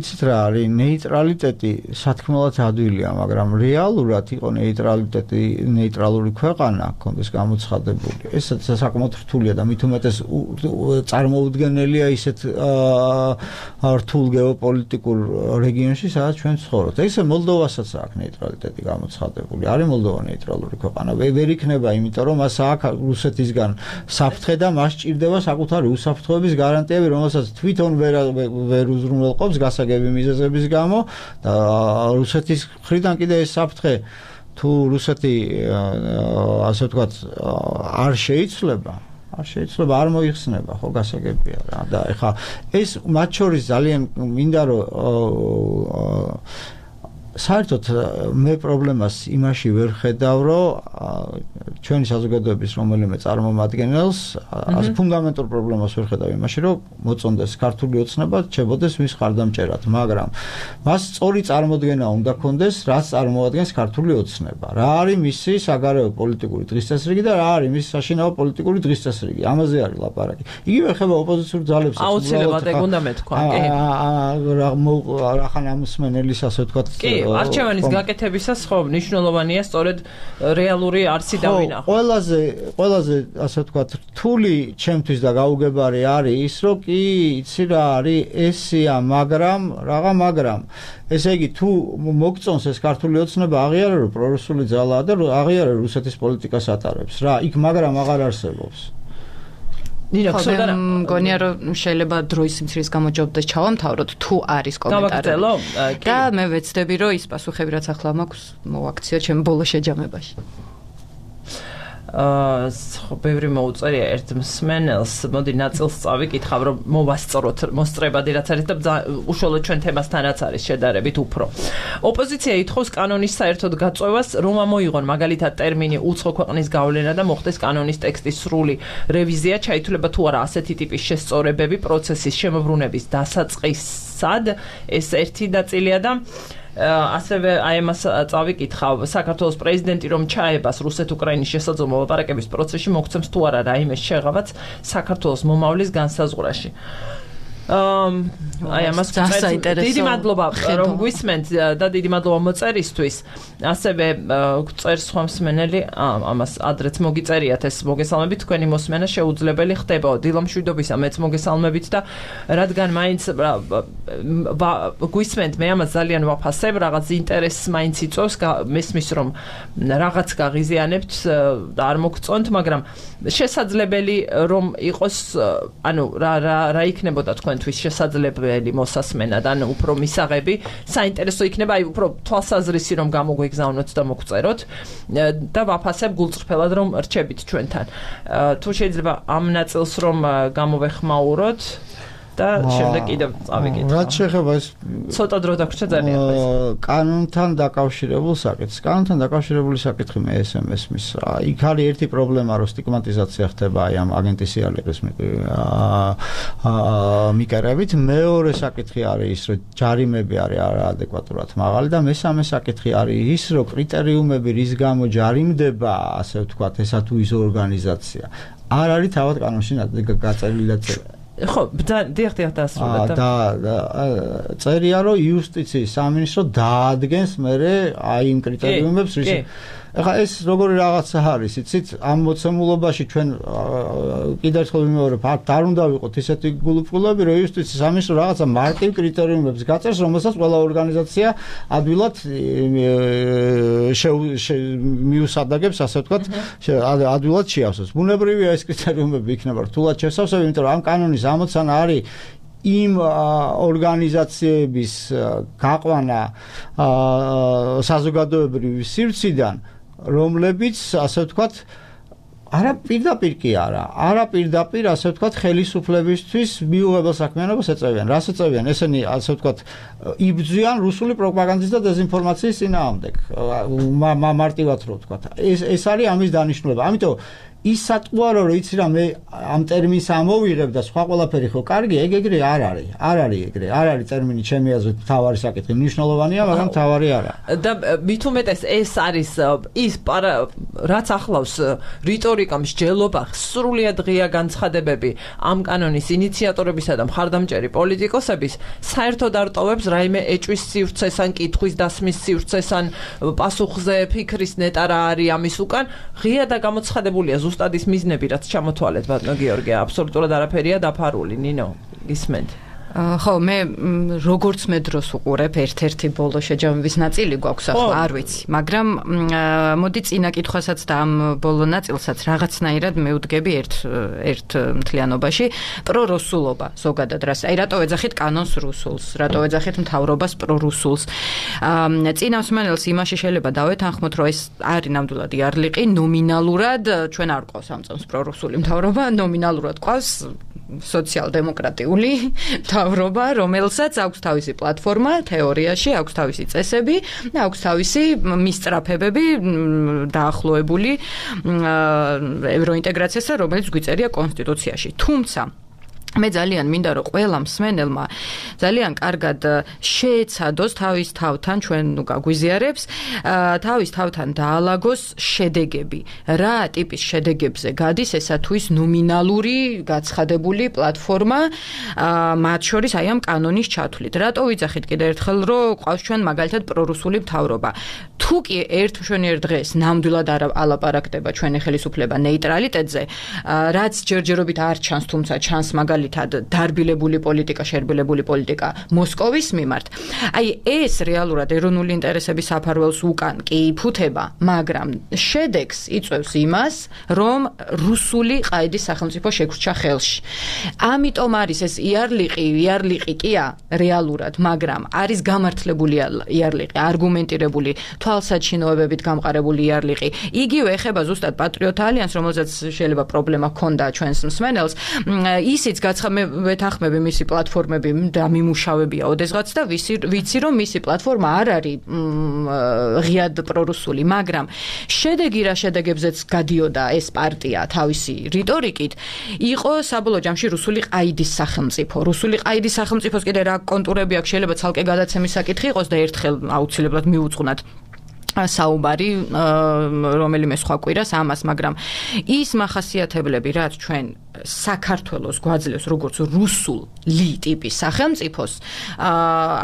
იცით რა არის ნეიტრალიტეტი სათქმელად ადვილია მაგრამ რეალურად იყო ნეიტრალიტეტი ნეიტრალური ქვეყანა კონდეს გამოცხადებული ეს საკმაოდ რთულია და მით უმეტეს წარმოუდგენელია ისეთ რთულ გეოპოლიტიკურ რეგიონში სადაც ჩვენ ცხოვრობთ ესე მოლდოვასაც აქვს ნეიტრალიტეტი გამოცხადებული არის მოლდოვა ნეიტრალური ქვეყანა ვერ იქნება იმიტომ რომ მას აქვს რუსეთისგან საფრთხე და მას ჭირდება საკუთარი უსაფრთხოების გარანტიები რომელსაც თვითონ ვერ ვერ უზრუნველყოფს გასაგები მიზეზების გამო და რუსეთის მხრიდან კიდე ეს საფრთხე თუ რუსეთი ასე ვთქვათ არ შეიცვლება არ შეიძლება არ მოიხსნება ხო გასაგებია რა და ეხა ეს მათ შორის ძალიან მინდა რომ საერთოდ მე პრობლემას იმაში ვერ ხედავ რომ ჩვენი საზოგადოების რომელიმე წარმომადგენელს ასე ფუნდამენტურ პრობლემას ვერ ხედავ იმაში რომ მოწონდეს ქართული ოცნება ჩებოდეს მის ხარდამჭერად მაგრამ მას სწორი წარმოდგენა უნდა ქონდეს რაც წარმოადგენს ქართული ოცნება რა არის მისი საგარეო პოლიტიკური დღესდღეობით და რა არის მისი საშინაო პოლიტიკური დღესდღეობით ამაზე არის ლაპარაკი იგივე ხება ოპოზიციურ ძალებს აუცილებლად ეგ უნდა მეთქვა კი რა ხან ამსმენელის ასე ვთქვათ არჩევანის გაკეთებისას ხო მნიშვნელოვანია სწორედ რეალური არსი დავინახო. ყველაზე ყველაზე ასე ვთქვათ რთული ჩემთვის და გაუგებარი არის ის რომ კი იცი რა არის ესია მაგრამ რაღა მაგრამ ესე იგი თუ მოგწონს ეს ქართული ოცნება აღიარა რომ პრორუსული ძალაა და აღიარა რუსეთის პოლიტიკას ატარებს რა იქ მაგრამ აღარ არსებობს ნინა ხსოვდა მგონია რომ შეიძლება დროის სიმცირის გამო ჩავამთავროთ თუ არის კომენტარები და მე ვეცდები რომ ის პასუხები რაც ახლა მაქვს მოვაქციო ჩემ ბოლო შეჯამებაში აა ბევრი მოუწერია ერთ მსმენელს მოდი ნაწილს წავიკითხავ რომ მოვასწროთ მოსწრებადი რაც არის და უშუალოდ ჩვენ თემასთანაც არის შედარებით უფრო ოპოზიცია ითხოვს კანონის საერთოდ გაწევას რომ ამოიღონ მაგალითად ტერმინი უცხო ქვეყნის გავლენა და მოხდეს კანონის ტექსტის სრული რევიზია ჩაითვლება თუ არა ასეთი ტიპის შესწორებები პროცესის შემოbrunების დასაწყისად ეს ერთი ნაწილია და ასევე აი ამას წავიკითხავ საქართველოს პრეზიდენტი რომ ჩაებას რუსეთ-უკრაინის შესაძლო მოლაპარაკების პროცესში მოგცემს თუ არა რაიმე შეღავაც საქართველოს მომავლის განსაზღვრაში აი ამას დიდი მადლობა რომ გვისმენთ და დიდი მადლობა მოწერისთვის ასევე წერს სხვა მსმენელი ამას ადრეც მოგიწერიათ ეს მოგესალმებით თქვენი მოსმენა შეუძლებელი ხდება დილამშვიდობისა მეც მოგესალმებით და რადგან მაინც გვისმენთ მე ამას ძალიან ვაფასებ რაღაც ინტერესს მაინც იწვევს მესმის რომ რაღაც გაღიზიანებთ და არ მოგწონთ მაგრამ შესაძლებელი რომ იყოს ანუ რა რა რა იქნებოდა თქვენთვის შესაძლებელი მოსასმენა და ანუ უფრო მისაღები საინტერესო იქნება აი უფრო თვალსაზრისი რომ გამოგვეგზავნოთ და მოგწეროთ და ვაფასებ გულწრფელად რომ რჩებით ჩვენთან თუ შეიძლება ამ ნაწილს რომ გამოვეხმაუროთ და შემდეგ კიდევ წავიკითხავ. რაც შეეხება ეს ცოტა დრო დაგვრჩა ძალიან ეს. კანონთან დაკავშირებულ საკითხს. კანონთან დაკავშირებული საკითხი მე ეს მესმის. იქ არის ერთი პრობლემა, რომ სტიგმატიზაცია ხდება აი ამ აგენტის სიალების მიკარებით. მეორე საკითხი არის ის, რომ ჯარიმები არის არაადეკვატურად მაღალი და მესამე საკითხი არის ის, რომ კრიტერიუმები რის გამო ჯარიმდება, ასე ვთქვათ, ესა თუ ის ორგანიზაცია. არ არის თავად კანონში გაწერილი და წერილი. ხო, დიახ, დიახ, დასრულდა და წერია რომ იუსტიციის სამინისტრო დაადგენს მერე აი იმ კრიტერიუმებს რის ეხლა ეს როგორი რაღაცა არის იცით ამ მოცემულობაში ჩვენ კიდევ ერთხელ ვიმეორებ არ უნდა ვიყოთ ისეთი გულუფხულები რომ იუსტიციის სამინისტრო რაღაცა მარტივ კრიტერიუმებს გაწერს რომელსაც ყველა ორგანიზაცია ადვილად მიუსადაგებს ასე ვთქვათ ადვილად შეავსოს ბუნებრივია ეს კრიტერიუმები იქნება რთულად შესავსები იმიტომ რომ ამ კანონის ამოცანა არის იმ ორგანიზაციების გაყვანა საზოგადოებრივი სივრციდან რომლებიც ასე ვთქვათ არა პირდაპირ კი არა. არა პირდაპირ, ასე ვთქვათ, ხელისუფლებისთვის მიუღებელ საქმიანობას ეწევიან. რას ეწევიან? ესენი, ასე ვთქვათ, იბრძვიან რუსული პროპაგანდის და დეზინფორმაციის წინააღმდეგ. მარტივად რო ვთქვათ. ეს ეს არის ამის დანიშნულება. ამიტომ ის სატყუარო რო იცი რა მე ამ ტერმინს ამოვიღებ და სხვა ყველაფერი ხო კარგი, ეგ ეგრე არ არის. არ არის ეგრე. არ არის ტერმინი ჩემი აზრით თავარი საკითხი. მნიშვნელოვანია, მაგრამ თავარი არა. და მით უმეტეს ეს არის ის რაც ახლავს რიტორიკა, მსჯელობა, სრულიად ღია განცხადებები ამ კანონის ინიციატორებისა და მხარდამჭერი პოლიტიკოსების საერთოდ არ ტოვებს რაიმე ეჭვის სივრცეს ან კითხვის დასმის სივრცეს ან პასუხზე ფიქრის ნეტა რა არის ამის უკან, ღია და გამოცხადებულია ზუსტად ის მიზნები, რაც ჩამოთვალეთ ბატონო გიორგი, აბსოლუტურად არაფერია დაფარული. ნინო, გისმენთ? ხო, მე როგორც მე დროს უყურებ ერთ-ერთი ბოლო შეჯამების ნაწილი გვაქვს ახლა, არ ვიცი, მაგრამ მოდი წინა კითხვასაც და ამ ბოლო ნაწილსაც რაღაცნაირად მევდგები ერთ ერთ მთლიანობაში, პრორუსულობა ზოგადად რას. აი რატო ეძახით კანონს რუსულს, რატო ეძახით მთავრობას პრორუსულს. წინა მსმენელს იმაში შეიძლება დავეთანხმოთ, რომ ეს არის ნამდვილად იარლიყი, ნომინალურად ჩვენ არ ყავს ამ წამს პრორუსული მთავრობა, ნომინალურად ყავს სოციალ-დემოკრატიული მთავრობა, რომელსაც აქვს თავისი პლატფორმა, თეორიაში აქვს თავისი წესები და აქვს თავისი მისწრაფებები დაახლოებული ევროინტეგრაციასთან, რომელიც გვიწერია კონსტიტუციაში. თუმცა მე ძალიან მინდა რომ ყველა მსმენელმა ძალიან კარგად შეეცადოს თავის თავთან, ჩვენ ნუ გაგვიზიარებს, თავის თავთან დაალაგოს შედეგები. რა ტიპის შედეგებზე გადის ესა თუ ის ნომინალური გაცხადებული პლატფორმა, მათ შორის აი ამ კანონის ჩათვლით. რატო ვიძახით კიდე ერთხელ, რომ ყავს ჩვენ მაგალითად პრორუსული მთავრობა. თუ კი ერთ მშვენიერ დღეს ნამდვილად არ ალაპარაკდება ჩვენი ხელისუფლება ნეიტრალიტეტზე, რაც ჯერჯერობით არ ჩანს, თუმცა ჩანს მაგალითად დარბილებული პოლიტიკა, შერბილებული პოლიტიკა მოსკოვის მიმართ. აი ეს რეალურად ეროვნული ინტერესების საფარველს უკან კი იფუთება, მაგრამ შედეგს იწვევს იმას, რომ რუსული ყაიდის სახელმწიფო შეგვრჩა ხელში. ამიტომ არის ეს იარლიყი, იარლიყი კია რეალურად, მაგრამ არის გამართლებული იარლიყი, არგუმენტირებული, თვალსაჩინოებებით გამყარებული იარლიყი. იგივე ეხება ზუსტად პატრიოტ ალიანსს, რომელზეც შეიძლება პრობლემა ჰქონდა ჩვენს მსმენელს. ისიც მე ვეთანხმები მისი პლატფორმები და მიმუშავებია ოდესღაც და ვიცი რომ მისი პლატფორმა არ არის ღიად პრორუსული, მაგრამ შედეგი რა შედეგებზეც გადიოდა ეს პარტია თავისი რიტორიკით, იყო საბოლოო ჯამში რუსული ყაიდის სახელმწიფო. რუსული ყაიდის სახელმწიფოს კიდე რა კონტურები აქვს, შეიძლება ცალკე გადაცემის საკითხი იყოს და ერთხელ აუცილებლად მიუძღვნათ საუბარი რომელიმე სხვა კვირას ამას, მაგრამ ის მახასიათებლები, რაც ჩვენ საქართველოს გვაძლევს როგორც რუსული ტიპის სახელმწიფოს,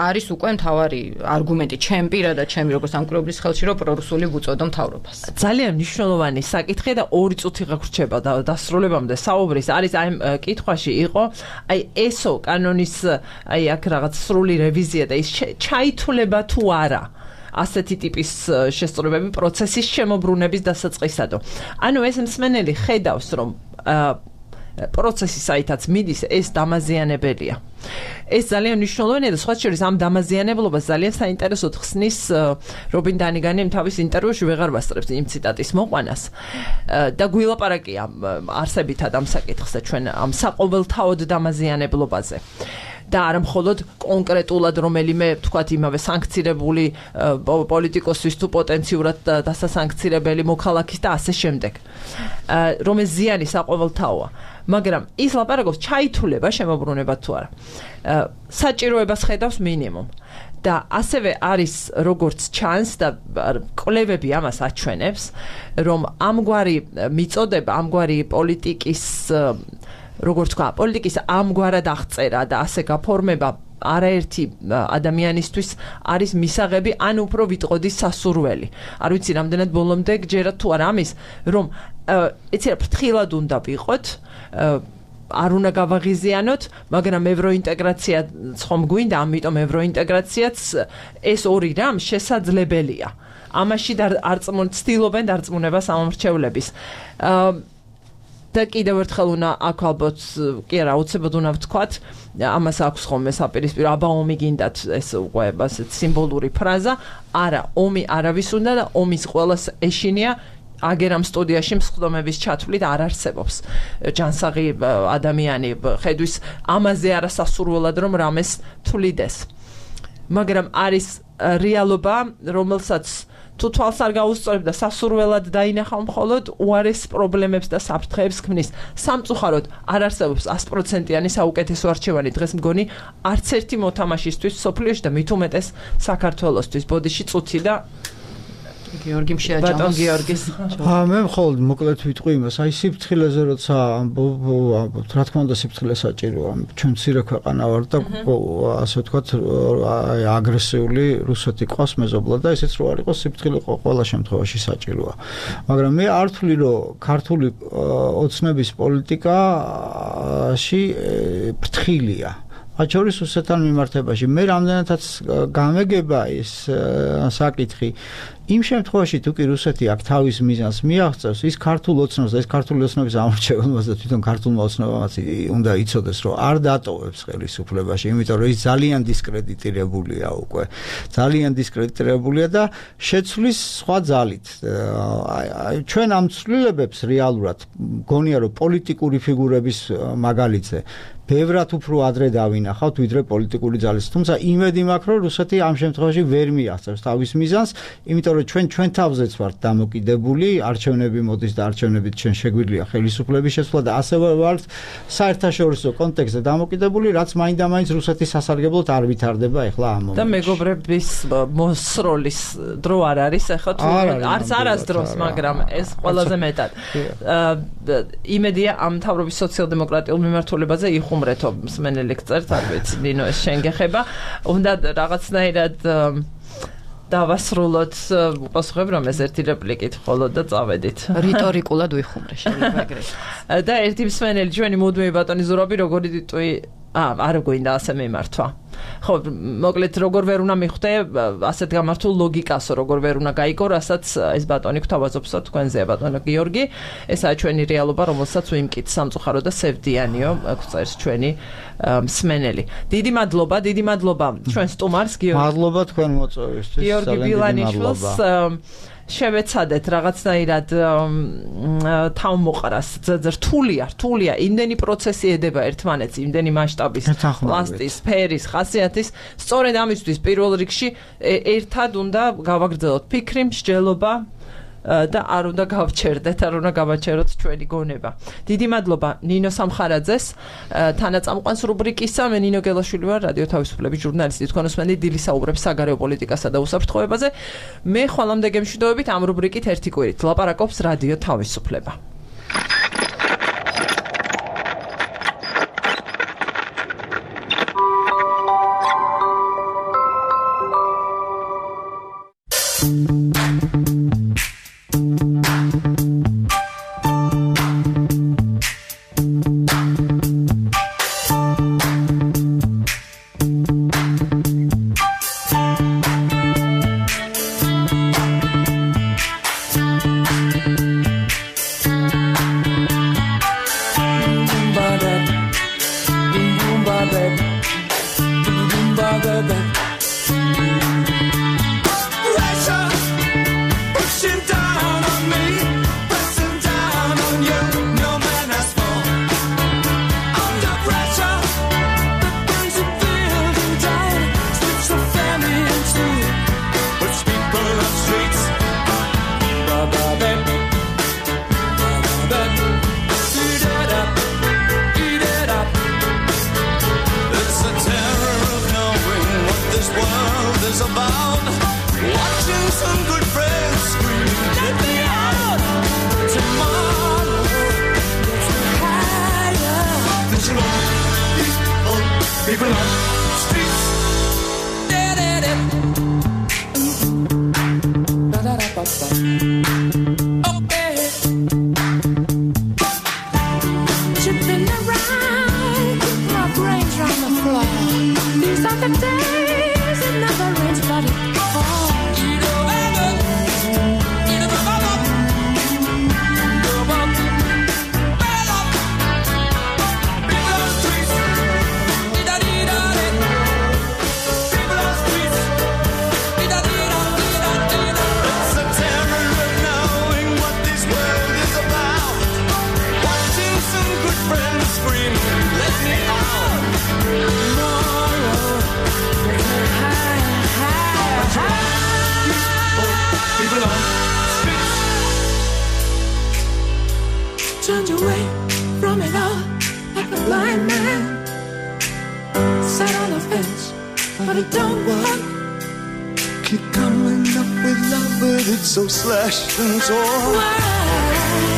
არის უკვე მთავარი არგუმენტი ჩემ პირადად, ჩემი როგორც სამკვირვებლის ხელში, რომ პრორუსული ვუწოდო მთავრობას. ძალიან მნიშვნელოვანი საკითხი და ორი წუთი გაგვრჩება და დასრულებამდე საუბრის არის აი კითხვაში იყო, აი ესო კანონის აი აქ რაღაც სრული რევიზია და ის ჩაითვლება თუ არა ასეთი ტიპის შესწორებები პროცესის შემოbrunების დასაწყისადო. ანუ ეს მსმენელი ხედავს, რომ პროცესი საითაც მიდის, ეს დამაზიანებელია. ეს ძალიან მნიშვნელოვანია და სხვა შორის ამ დამაზიანებლობას ძალიან საინტერესოდ ხსნის რობინ დანიგანი თავის ინტერვიუში, ვეღარ ვასწრებს იმ ციტატის მოყვანას და გვილაპარაკია არსებითად ამ საკითხზე ჩვენ ამ საყოველთაოდ დამაზიანებლობაზე. და არა მხოლოდ კონკრეტულად რომელიმე თქვათ იმავე სანქცირებული პოლიტიკოსის თუ პოტენციურად დასასანქცირებელი მოქალაქის და ასე შემდეგ. რომ ეს ზიანი საყოველთაოა, მაგრამ ის ლაპარაკობს ჩაითვლება შემოbrunებად თუ არა. საჭიროებას ხედავს მინიმუმ. და ასევე არის როგორც ჩანს და კვლევები ამას აჩვენებს, რომ ამგვარი მიწოდება, ამგვარი პოლიტიკის როგორც თქვა, პოლიტიკის ამგვარად აღწერა და ასე გაფორმება არაერთი ადამიანისთვის არის მისაღები, ან უფრო ვიტყოდი სასურველი. არ ვიცი რამდენად ბოლომდე გჯერათ თუ არა ამის, რომ ეცი რა ფრთხილად უნდა ვიყოთ, არ უნდა გავაღიზიანოთ, მაგრამ ევროინტეგრაცია ხომ გვინდა, ამიტომ ევროინტეგრაციაც ეს ორი რამ შესაძლებელია. ამაში არ ცდილობენ დარწმუნებას ამომრჩევლების. და კიდევ ერთხელ უნდა აქ ალბათ კი არა აუცილებლად უნდა ვთქვათ, ამას აქვს ხოლმე საპირისპირო, აბა ომი გინდათ, ეს უკვე ასეთ სიმბოლური ფრაზა, არა, ომი არავის უნდა და ომის ყველას ეშინია აგერ ამ სტუდიაში მსხდომების ჩათვლით არ არსებობს ჯანსაღი ადამიანი ხედვის ამაზე არასასურველად რომ რამეს თვლიდეს მაგრამ არის რეალობა რომელსაც თუ თვალს არ გაუსწორებ და სასურველად დაინახავ მხოლოდ უარეს პრობლემებს და საფრთხეებს ქმნის სამწუხაროდ არ არსებობს ას პროცენტიანი საუკეთესო არჩევანი დღეს მგონი არც ერთი მოთამაშისთვის სოფლიოში და მით უმეტეს საქართველოსთვის ბოდიში წუთი და გიორგი შეაჯამოს ბატონ გიორგის აა მე მხოლოდ მოკლედ ვიტყვი იმას აი სიფრთხილეზე როცა რა თქმა უნდა სიფრთხილე საჭიროა ჩვენ მცირე ქვეყანა ვარ და ასე ვთქვათ აი აგრესიული რუსეთი ყავს მეზობლად და ესეც რო არ იყოს სიფრთხილე ყველა შემთხვევაში საჭიროა მაგრამ მე არ ვთვლი რომ ქართული ოცნების პოლიტიკაში ფრთხილია მათ შორის რუსეთთან მიმართებაში მე რამდენადაც გამეგება ის საკითხი იმ შემთხვევაში თუ კი რუსეთი აქ თავის მიზანს მიაღწევს ის ქართულ ოცნებას და ეს ქართული ოცნების ამორჩეველობას და თვითონ ქართულმა ოცნებამაც უნდა იცოდეს რომ არ დატოვებს ხელისუფლებაში იმიტომ რომ ის ძალიან დისკრედიტირებულია უკვე ძალიან დისკრედიტირებულია და შეცვლის სხვა ძალით აი ჩვენ ამ ცვლილებებს რეალურად გონია რომ პოლიტიკური ფიგურების მაგალითზე ბევრად უფრო ადრე დავინახავთ ვიდრე პოლიტიკური ძალის თუმცა იმედი მაქვს რომ რუსეთი ამ შემთხვევაში ვერ მიაღწევს თავის მიზანს იმიტომ რომ ჩვენ ჩვენ თავზეც ვართ დამოკიდებული არჩევნები მოდის და არჩევნებით ჩვენ შეგვიძლია ხელისუფლების შეცვლა და ასევე ვართ საერთაშორისო კონტექსტზე დამოკიდებული რაც მაინდა-მაინც რუსეთის სასარგებლოდ არ ვითარდება ახლა ამ მომენტში და მეგობრების მოსროლის დრო არ არის ახლა თუ არც არასდროს მაგრამ ეს ყველაზე მეტად იმედია ამ მთავრობის სოციალ-დემოკრატიულ მიმართულებაზე იხუმრეთო მსმენელი გწერთ არ ვიცი ნინო ეს შენ გეხება უნდა რაღაცნაირად დავასრულოთ უპასუხებ რომ ეს ერთი რეპლიკით მხოლოდ და წავედით რიტორიკულად ვიხუმრე შეიძლება ეგრეთ და ერთი მსმენელი ჩვენი მუდმივი ბატონი ზურაბი როგორი ტიტული აა არ გვინდა ასე მიმართვა ხო მოკლედ როგორ ვერ უნდა მიხვდე ასეთ გამართულ ლოგიკასო როგორ ვერ უნდა გაიგო რასაც ეს ბატონი გვთავაზობსო თქვენზეა ბატონო გიორგი ესაა ჩვენი რეალობა რომელსაც ვიმკით სამწუხარო და სევდიანიო გვწერს ჩვენი მსმენელი დიდი მადლობა დიდი მადლობა ჩვენ სტუმარს გიორგი მადლობა თქვენ მოწვევისთვის გიორგი ბილანიშვილს შევეცადეთ რაღაცნაირად თავმოყრას რთულია რთულია იმდენი პროცესი ედება ერთმანეთს იმდენი მასშტაბის პლასტის სფერის ხასიათის სწორედ ამისთვის პირველ რიგში ერთად უნდა გავაგრძელოთ ფიქრი მსჯელობა და არ უნდა გავჩერდეთ, არ უნდა გავაჩეროთ ჩვენი გონება. დიდი მადლობა ნინო სამხარაძეს, თანაწამყვანს რუბრიკისა, მე ნინო გელაშვილი ვარ, რადიო თავისუფლების ჟურნალისტი, თქვენ უსმენთ დილის საუბრებს საგარეო პოლიტიკასა და უსაფრთხოებაზე. მე ხვალამდე გემშვიდობებით ამ რუბრიკით ერთი კვირით ლაპარაკობს რადიო თავისუფლება. but I don't want. Keep coming up with love, but it's so slashed and torn. Why?